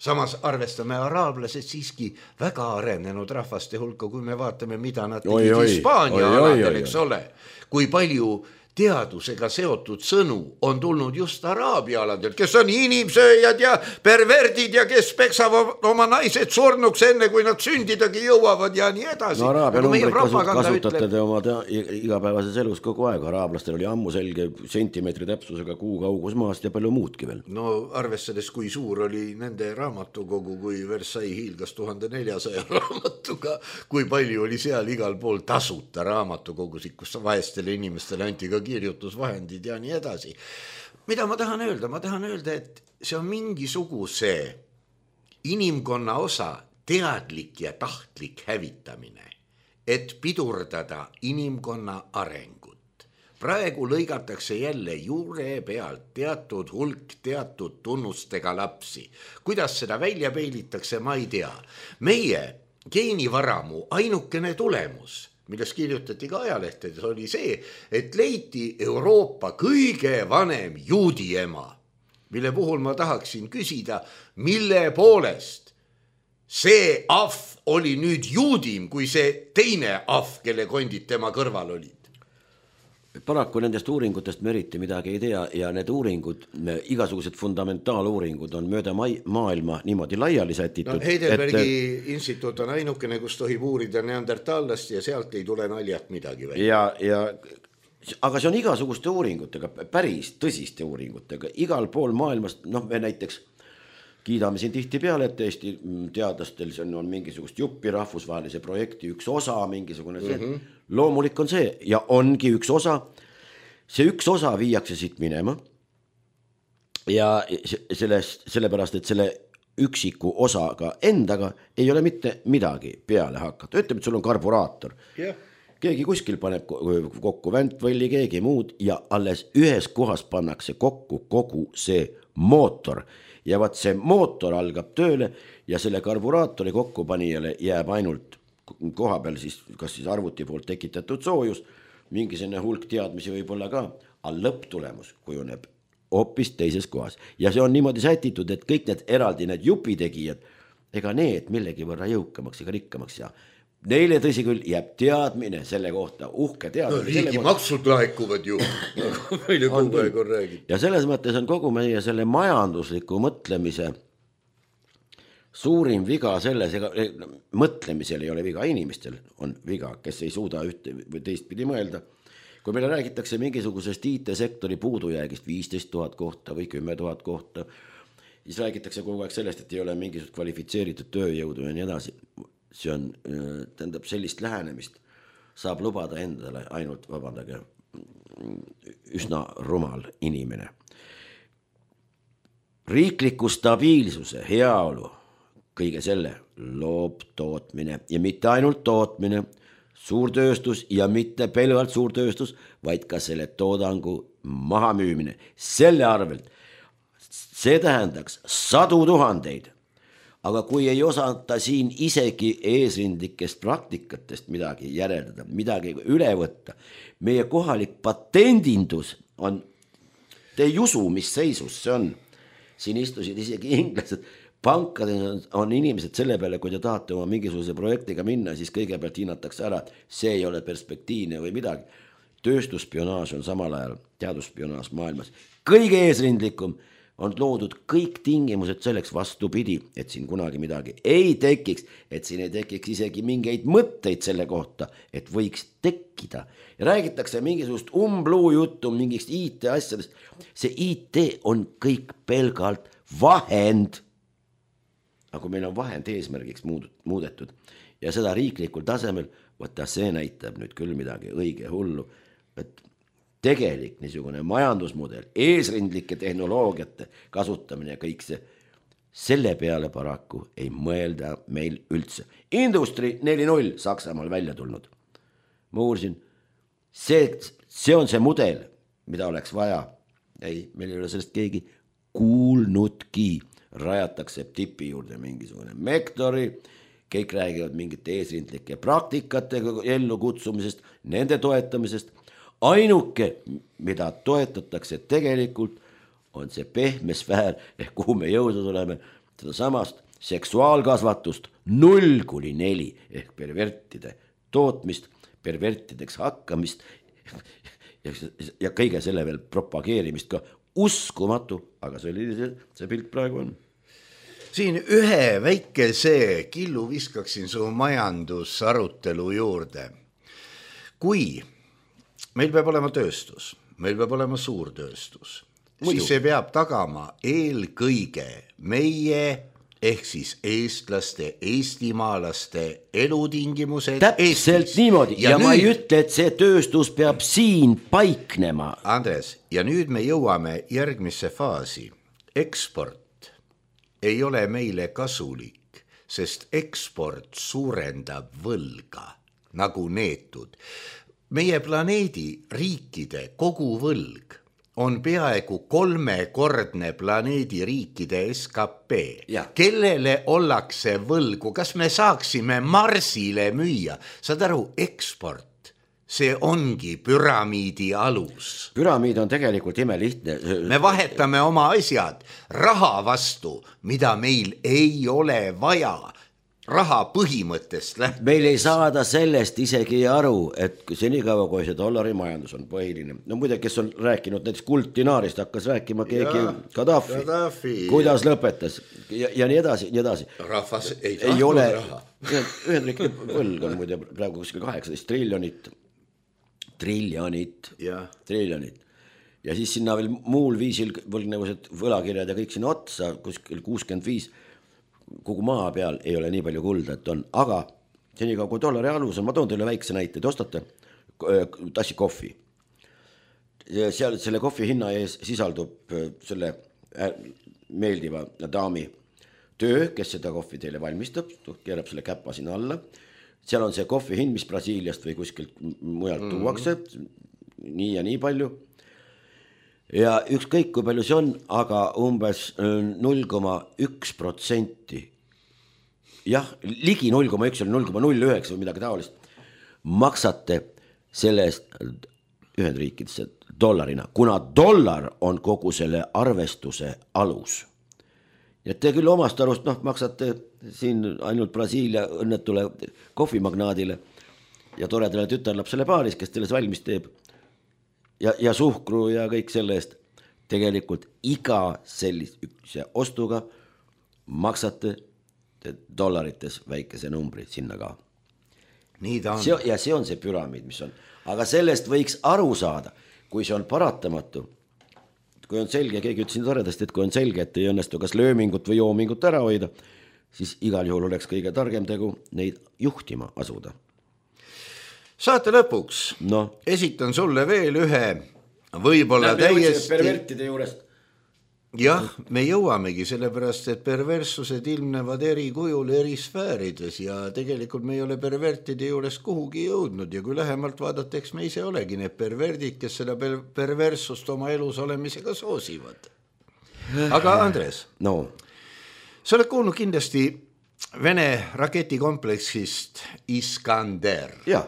Samas arvestame araablased siiski väga arenenud rahvaste hulka, kui me vaatame, mida nad tegid Hispaania aladel, eks ole. Kui palju teadusega seotud sõnu on tulnud just Araabia aladel, kes on inimsööjad ja perverdid ja kes peksavad oma naised surnuks enne, kui nad sündidagi jõuavad ja nii edasi. Araabia numbrit kasutate te oma igapäevases elus kogu aeg. Araablastel oli ammu selge sentimeetri täpsusega kuu kaugus maast ja palju muudki veel. Arvestades, kui suur oli nende raamatukogu, kui Versailles hiilgas 1400 raamatuga, kui palju oli seal igal pool tasuta raamatukogusid, kus vaestele inimestele anti ka kirjutusvahendid ja nii edasi. Mida ma tahan öelda? Ma tahan öelda, et see on mingisuguse inimkonna osa teadlik ja tahtlik hävitamine, et pidurdada inimkonna arengut. Praegu lõigatakse jälle juure pealt teatud hulk teatud tunnustega lapsi. Kuidas seda välja peilitakse, ma ei tea. Meie geenivaramu ainukene tulemus, millest kirjutati ka ajalehtedes, oli see, et leiti Euroopa kõige vanem juudi ema, mille puhul ma tahaksin küsida, mille poolest see ahv oli nüüd juudim kui see teine ahv, kelle kondid tema kõrval olid. Paraku nendest uuringutest me eriti midagi ei tea ja need uuringud, igasugused fundamentaaluuringud on mööda maailma niimoodi laiali sätitud. Heidelbergi instituut on ainukene, kus tohib uurida neandertaallast ja sealt ei tule naljat midagi välja. Aga see on igasuguste uuringutega, päris tõsiste uuringutega. Igal pool maailmast, me näiteks kiidame siin tihti peale, et Eesti teadlastel see on mingisugust juppi rahvusvahelise projekti üks osa, mingisugune see. Loomulik on see ja ongi üks osa. See üks osa viiakse siit minema ja sellepärast, et selle üksiku osaga endaga ei ole mitte midagi peale hakata. Ütleme, et sul on karburaator. keegi kuskil paneb kokku väntvõlli, keegi muud ja alles ühes kohas pannakse kokku kogu see mootor ja vaat see mootor algab tööle ja selle karburaatori kokkupanijale jääb ainult koha peal siis, kas siis arvuti poolt tekitatud soojus, mingisugune hulk teadmisi võib olla ka, aga lõpptulemus kujuneb hoopis teises kohas ja see on niimoodi sätitud, et kõik need eraldi need jupitegijad, ega need millegi võrra jõukamaks ega rikkamaks ja neile tõsi küll jääb teadmine selle kohta, uhke teadmine. No riigi maksud laekuvad ju, nagu meile kogu aeg on räägitud. Ja selles mõttes on kogu meie selle majandusliku mõtlemise suurim viga selles, ega mõtlemisel ei ole viga, inimestel on viga, kes ei suuda ühte või teistpidi mõelda. Kui meile räägitakse mingisugusest IT-sektori puudujäägist 15 000 kohta või 10 000 kohta, siis räägitakse kogu aeg sellest, et ei ole mingisugust kvalifitseeritud tööjõudu ja nii edasi. See on, tähendab sellist lähenemist saab lubada endale ainult, vabandage, üsna rumal inimene. Riikliku stabiilsuse, heaolu, kõige selle loob tootmine ja mitte ainult tootmine, suurtööstus ja mitte pelgalt suurtööstus, vaid ka selle toodangu mahamüümine. Selle arvelt see tähendaks 100 000. Aga kui ei osata siin isegi eesrindlikest praktikatest midagi järeldada, midagi üle võtta, meie kohalik patendindus on, te ei usu, mis seisus see on. Siin istusid isegi inglased, pankades on inimesed selle peale, kui te tahate oma mingisuguse projektiga minna, siis kõigepealt hinnatakse ära, et see ei ole perspektiivne või midagi. Tööstusspionaaž on samal ajal teadusspionaaž maailmas kõige eesrindlikum, on loodud kõik tingimused selleks vastupidi, et siin kunagi midagi ei tekiks, et siin ei tekiks isegi mingeid mõtteid selle kohta, et võiks tekkida. Ja räägitakse mingisugust umbluu juttu, mingist IT asjadest. See IT on kõik pelgalt vahend. Aga kui meil on vahend eesmärgiks muudetud ja seda riiklikul tasemel, võtta see näitab nüüd küll midagi õige hullu, et tegelik niisugune majandusmudel, eesrindlike tehnoloogiate kasutamine ja kõik see, selle peale paraku ei mõelda meil üldse. Industry 4.0 Saksamaal välja tulnud. Ma uurisin, see on see mudel, mida oleks vaja. Ei, meil ei ole sellest keegi kuulnudki. Rajatakse tipi juurde mingisugune mektori, kõik räägivad mingite eesrindlike praktikate ellu kutsumisest, nende toetamisest. Ainuke, mida toetatakse tegelikult, on see pehme sfäär, kuhu me jõudnud oleme, seda samast seksuaalkasvatust 0–4 ehk pervertide tootmist, pervertideks hakkamist ja kõige selle veel propageerimist ka uskumatu, aga see pilt praegu on. Siin ühe väikese killu viskaksin su majandusarutelu juurde. Kui meil peab olema tööstus, meil peab olema suurtööstus, siis see peab tagama eelkõige meie ehk siis eestlaste, eestimaalaste elutingimused. Täpselt niimoodi ja nüüd, ma ei ütle, et see tööstus peab siin paiknema. Andres, ja nüüd me jõuame järgmisse faasi. Eksport ei ole meile kasulik, sest eksport suurendab võlga nagu neetud. Meie planeedi riikide koguvõlg on peaaegu 3-kordne planeedi riikide SKP. Kellele ollakse võlgu? Kas me saaksime Marsile müüa? Saad aru, eksport, see ongi püramiidi alus. Püramiid on tegelikult imelihtne. Me vahetame oma asjad raha vastu, mida meil ei ole vaja. Raha põhimõttest lähtuvalt. Meil ei saada sellest isegi aru, et senikaua kui see dollari majandus on põhiline. No muide, kes on rääkinud näiteks kultinaarist, hakkas rääkima keegi Gaddafi. Kuidas lõpetas ja nii edasi, nii edasi. Rahvas ei tahtnud raha. Ühendriikide võlg on muide praegu kuskil 18 triljonit. Ja siis sinna veel muul viisil võlgnevused võlakirjad ja kõik sinna otsa, kuskil 65 kogu maa peal ei ole nii palju kulda, et on, aga senikaua kui dollari alus on, ma toon teile väikse näite, te ostate tassi kohvi. Seal selle kohvi hinna ees sisaldub selle meeldiva daami töö, kes seda kohvi teile valmistab, keerab selle käpa sinna alla, seal on see kohvi hind, mis Brasiiliast või kuskilt mujalt tuuakse, nii ja nii palju. Ja ükskõik kui palju see on, aga umbes 0,1%, jah, ligi 0,1 või 0,09 või midagi taolist, maksate selle eest Ühendriikidesse dollarina, kuna dollar on kogu selle arvestuse alus. Ja te küll omast arust maksate siin ainult Brasiilia õnnetule kohvimagnaadile ja toredale tütarlapsele paaris, kes teile valmis teeb ja suhkru ja kõik selle eest. Tegelikult iga sellise ostuga maksate dollarites väikese numbri sinna ka. Nii ta on. Ja see on see püramiid, mis on. Aga sellest võiks aru saada, kui see on paratamatu. Kui on selge, keegi ütles siin toredasti, et kui on selge, et ei õnnestu kas löömingut või joomingut ära hoida, siis igal juhul oleks kõige targem tegu neid juhtima asuda. Saate lõpuks esitan sulle veel ühe võib-olla täiesti... Pervertide juurest. Jah, me jõuamegi sellepärast, et perverssused ilmnevad eri kujul eri sfäärides ja tegelikult me ei ole pervertide juures kuhugi jõudnud ja kui lähemalt vaadata, eks me ise olegi need perverdid, kes seda perverssust oma elus olemisega soosivad. Aga Andres, sa oled kuulnud kindlasti Vene raketikompleksist Iskander. Jah.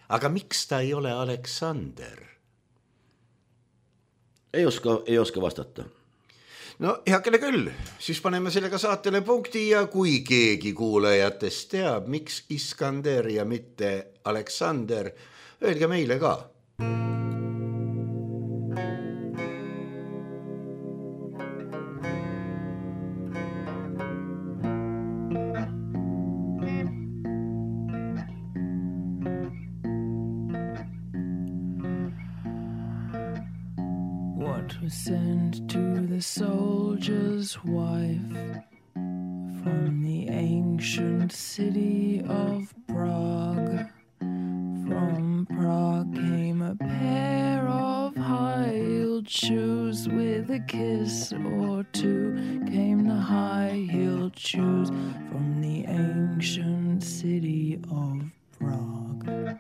Aga miks ta ei ole Aleksander? Ei oska vastata. No heakene küll, siis paneme sellega saatele punkti ja kui keegi kuulajatest teab, miks Iskander ja mitte Aleksander, öelge meile ka. Sent to the soldier's wife from the ancient city of Prague. From Prague came a pair of high-heeled shoes. With a kiss or two came the high-heeled shoes from the ancient city of Prague.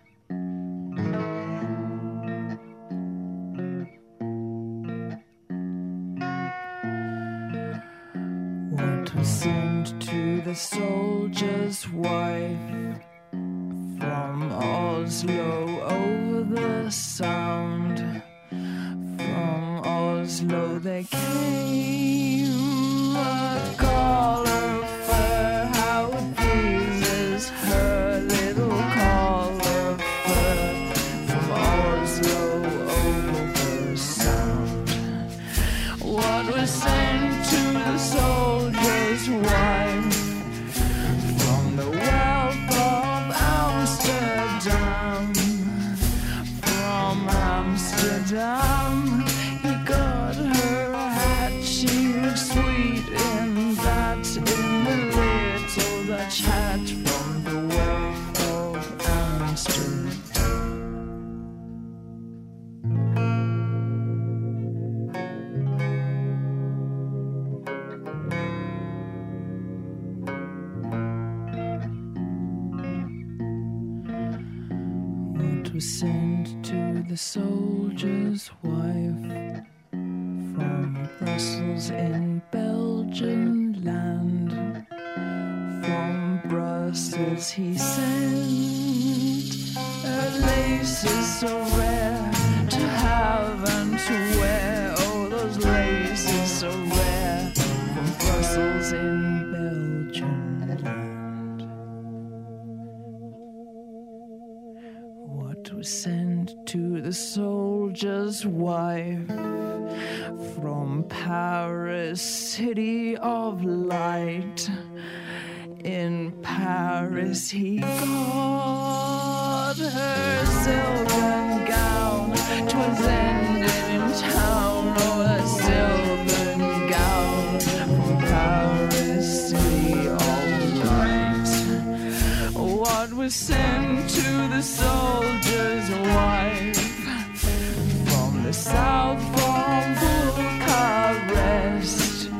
Sent to the soldier's wife from Oslo over the Sound. From Oslo they came, a collar of fur, how it pleases her, little collar of fur. From Oslo over the Sound. What was sent to the soldier's wife from the wealth of Amsterdam. From Amsterdam he got her a hat. She looked sweet in that, in the little Dutch hat from the wealth of Amsterdam. Was sent to the soldier's wife from Brussels in Belgian land. From Brussels he sent her laces so rare to have and to wear. Oh, those laces so rare from Brussels in Belgian land. Was sent to the soldier's wife from Paris, city of light. In Paris he got her silken gown. 'Twas ended in town, oh, the silken gown from Paris, city of light. What was sent to the soldier's wife from the south, from Bucharest.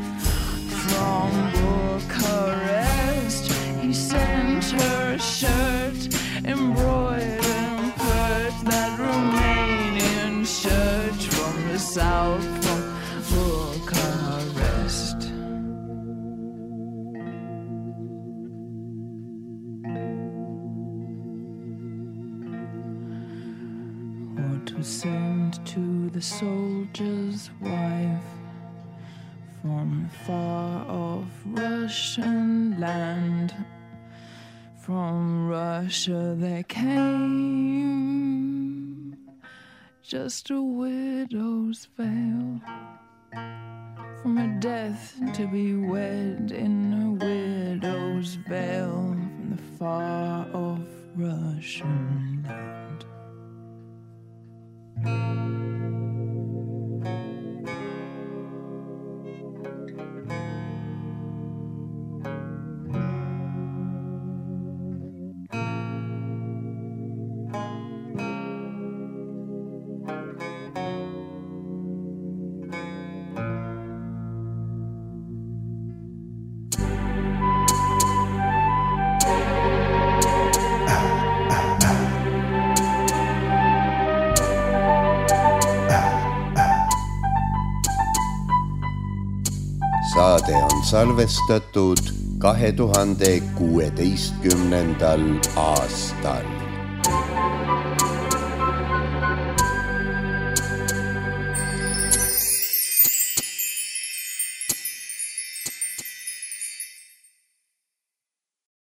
From Bucharest he sent her a shirt. south from Bucharest. Or to send to the soldier's wife from far off Russian land. From Russia they came, just a widow's veil, from a death to be wed in a widow's veil, from the far off Russian land. Saade on salvestatud 2016. aastal.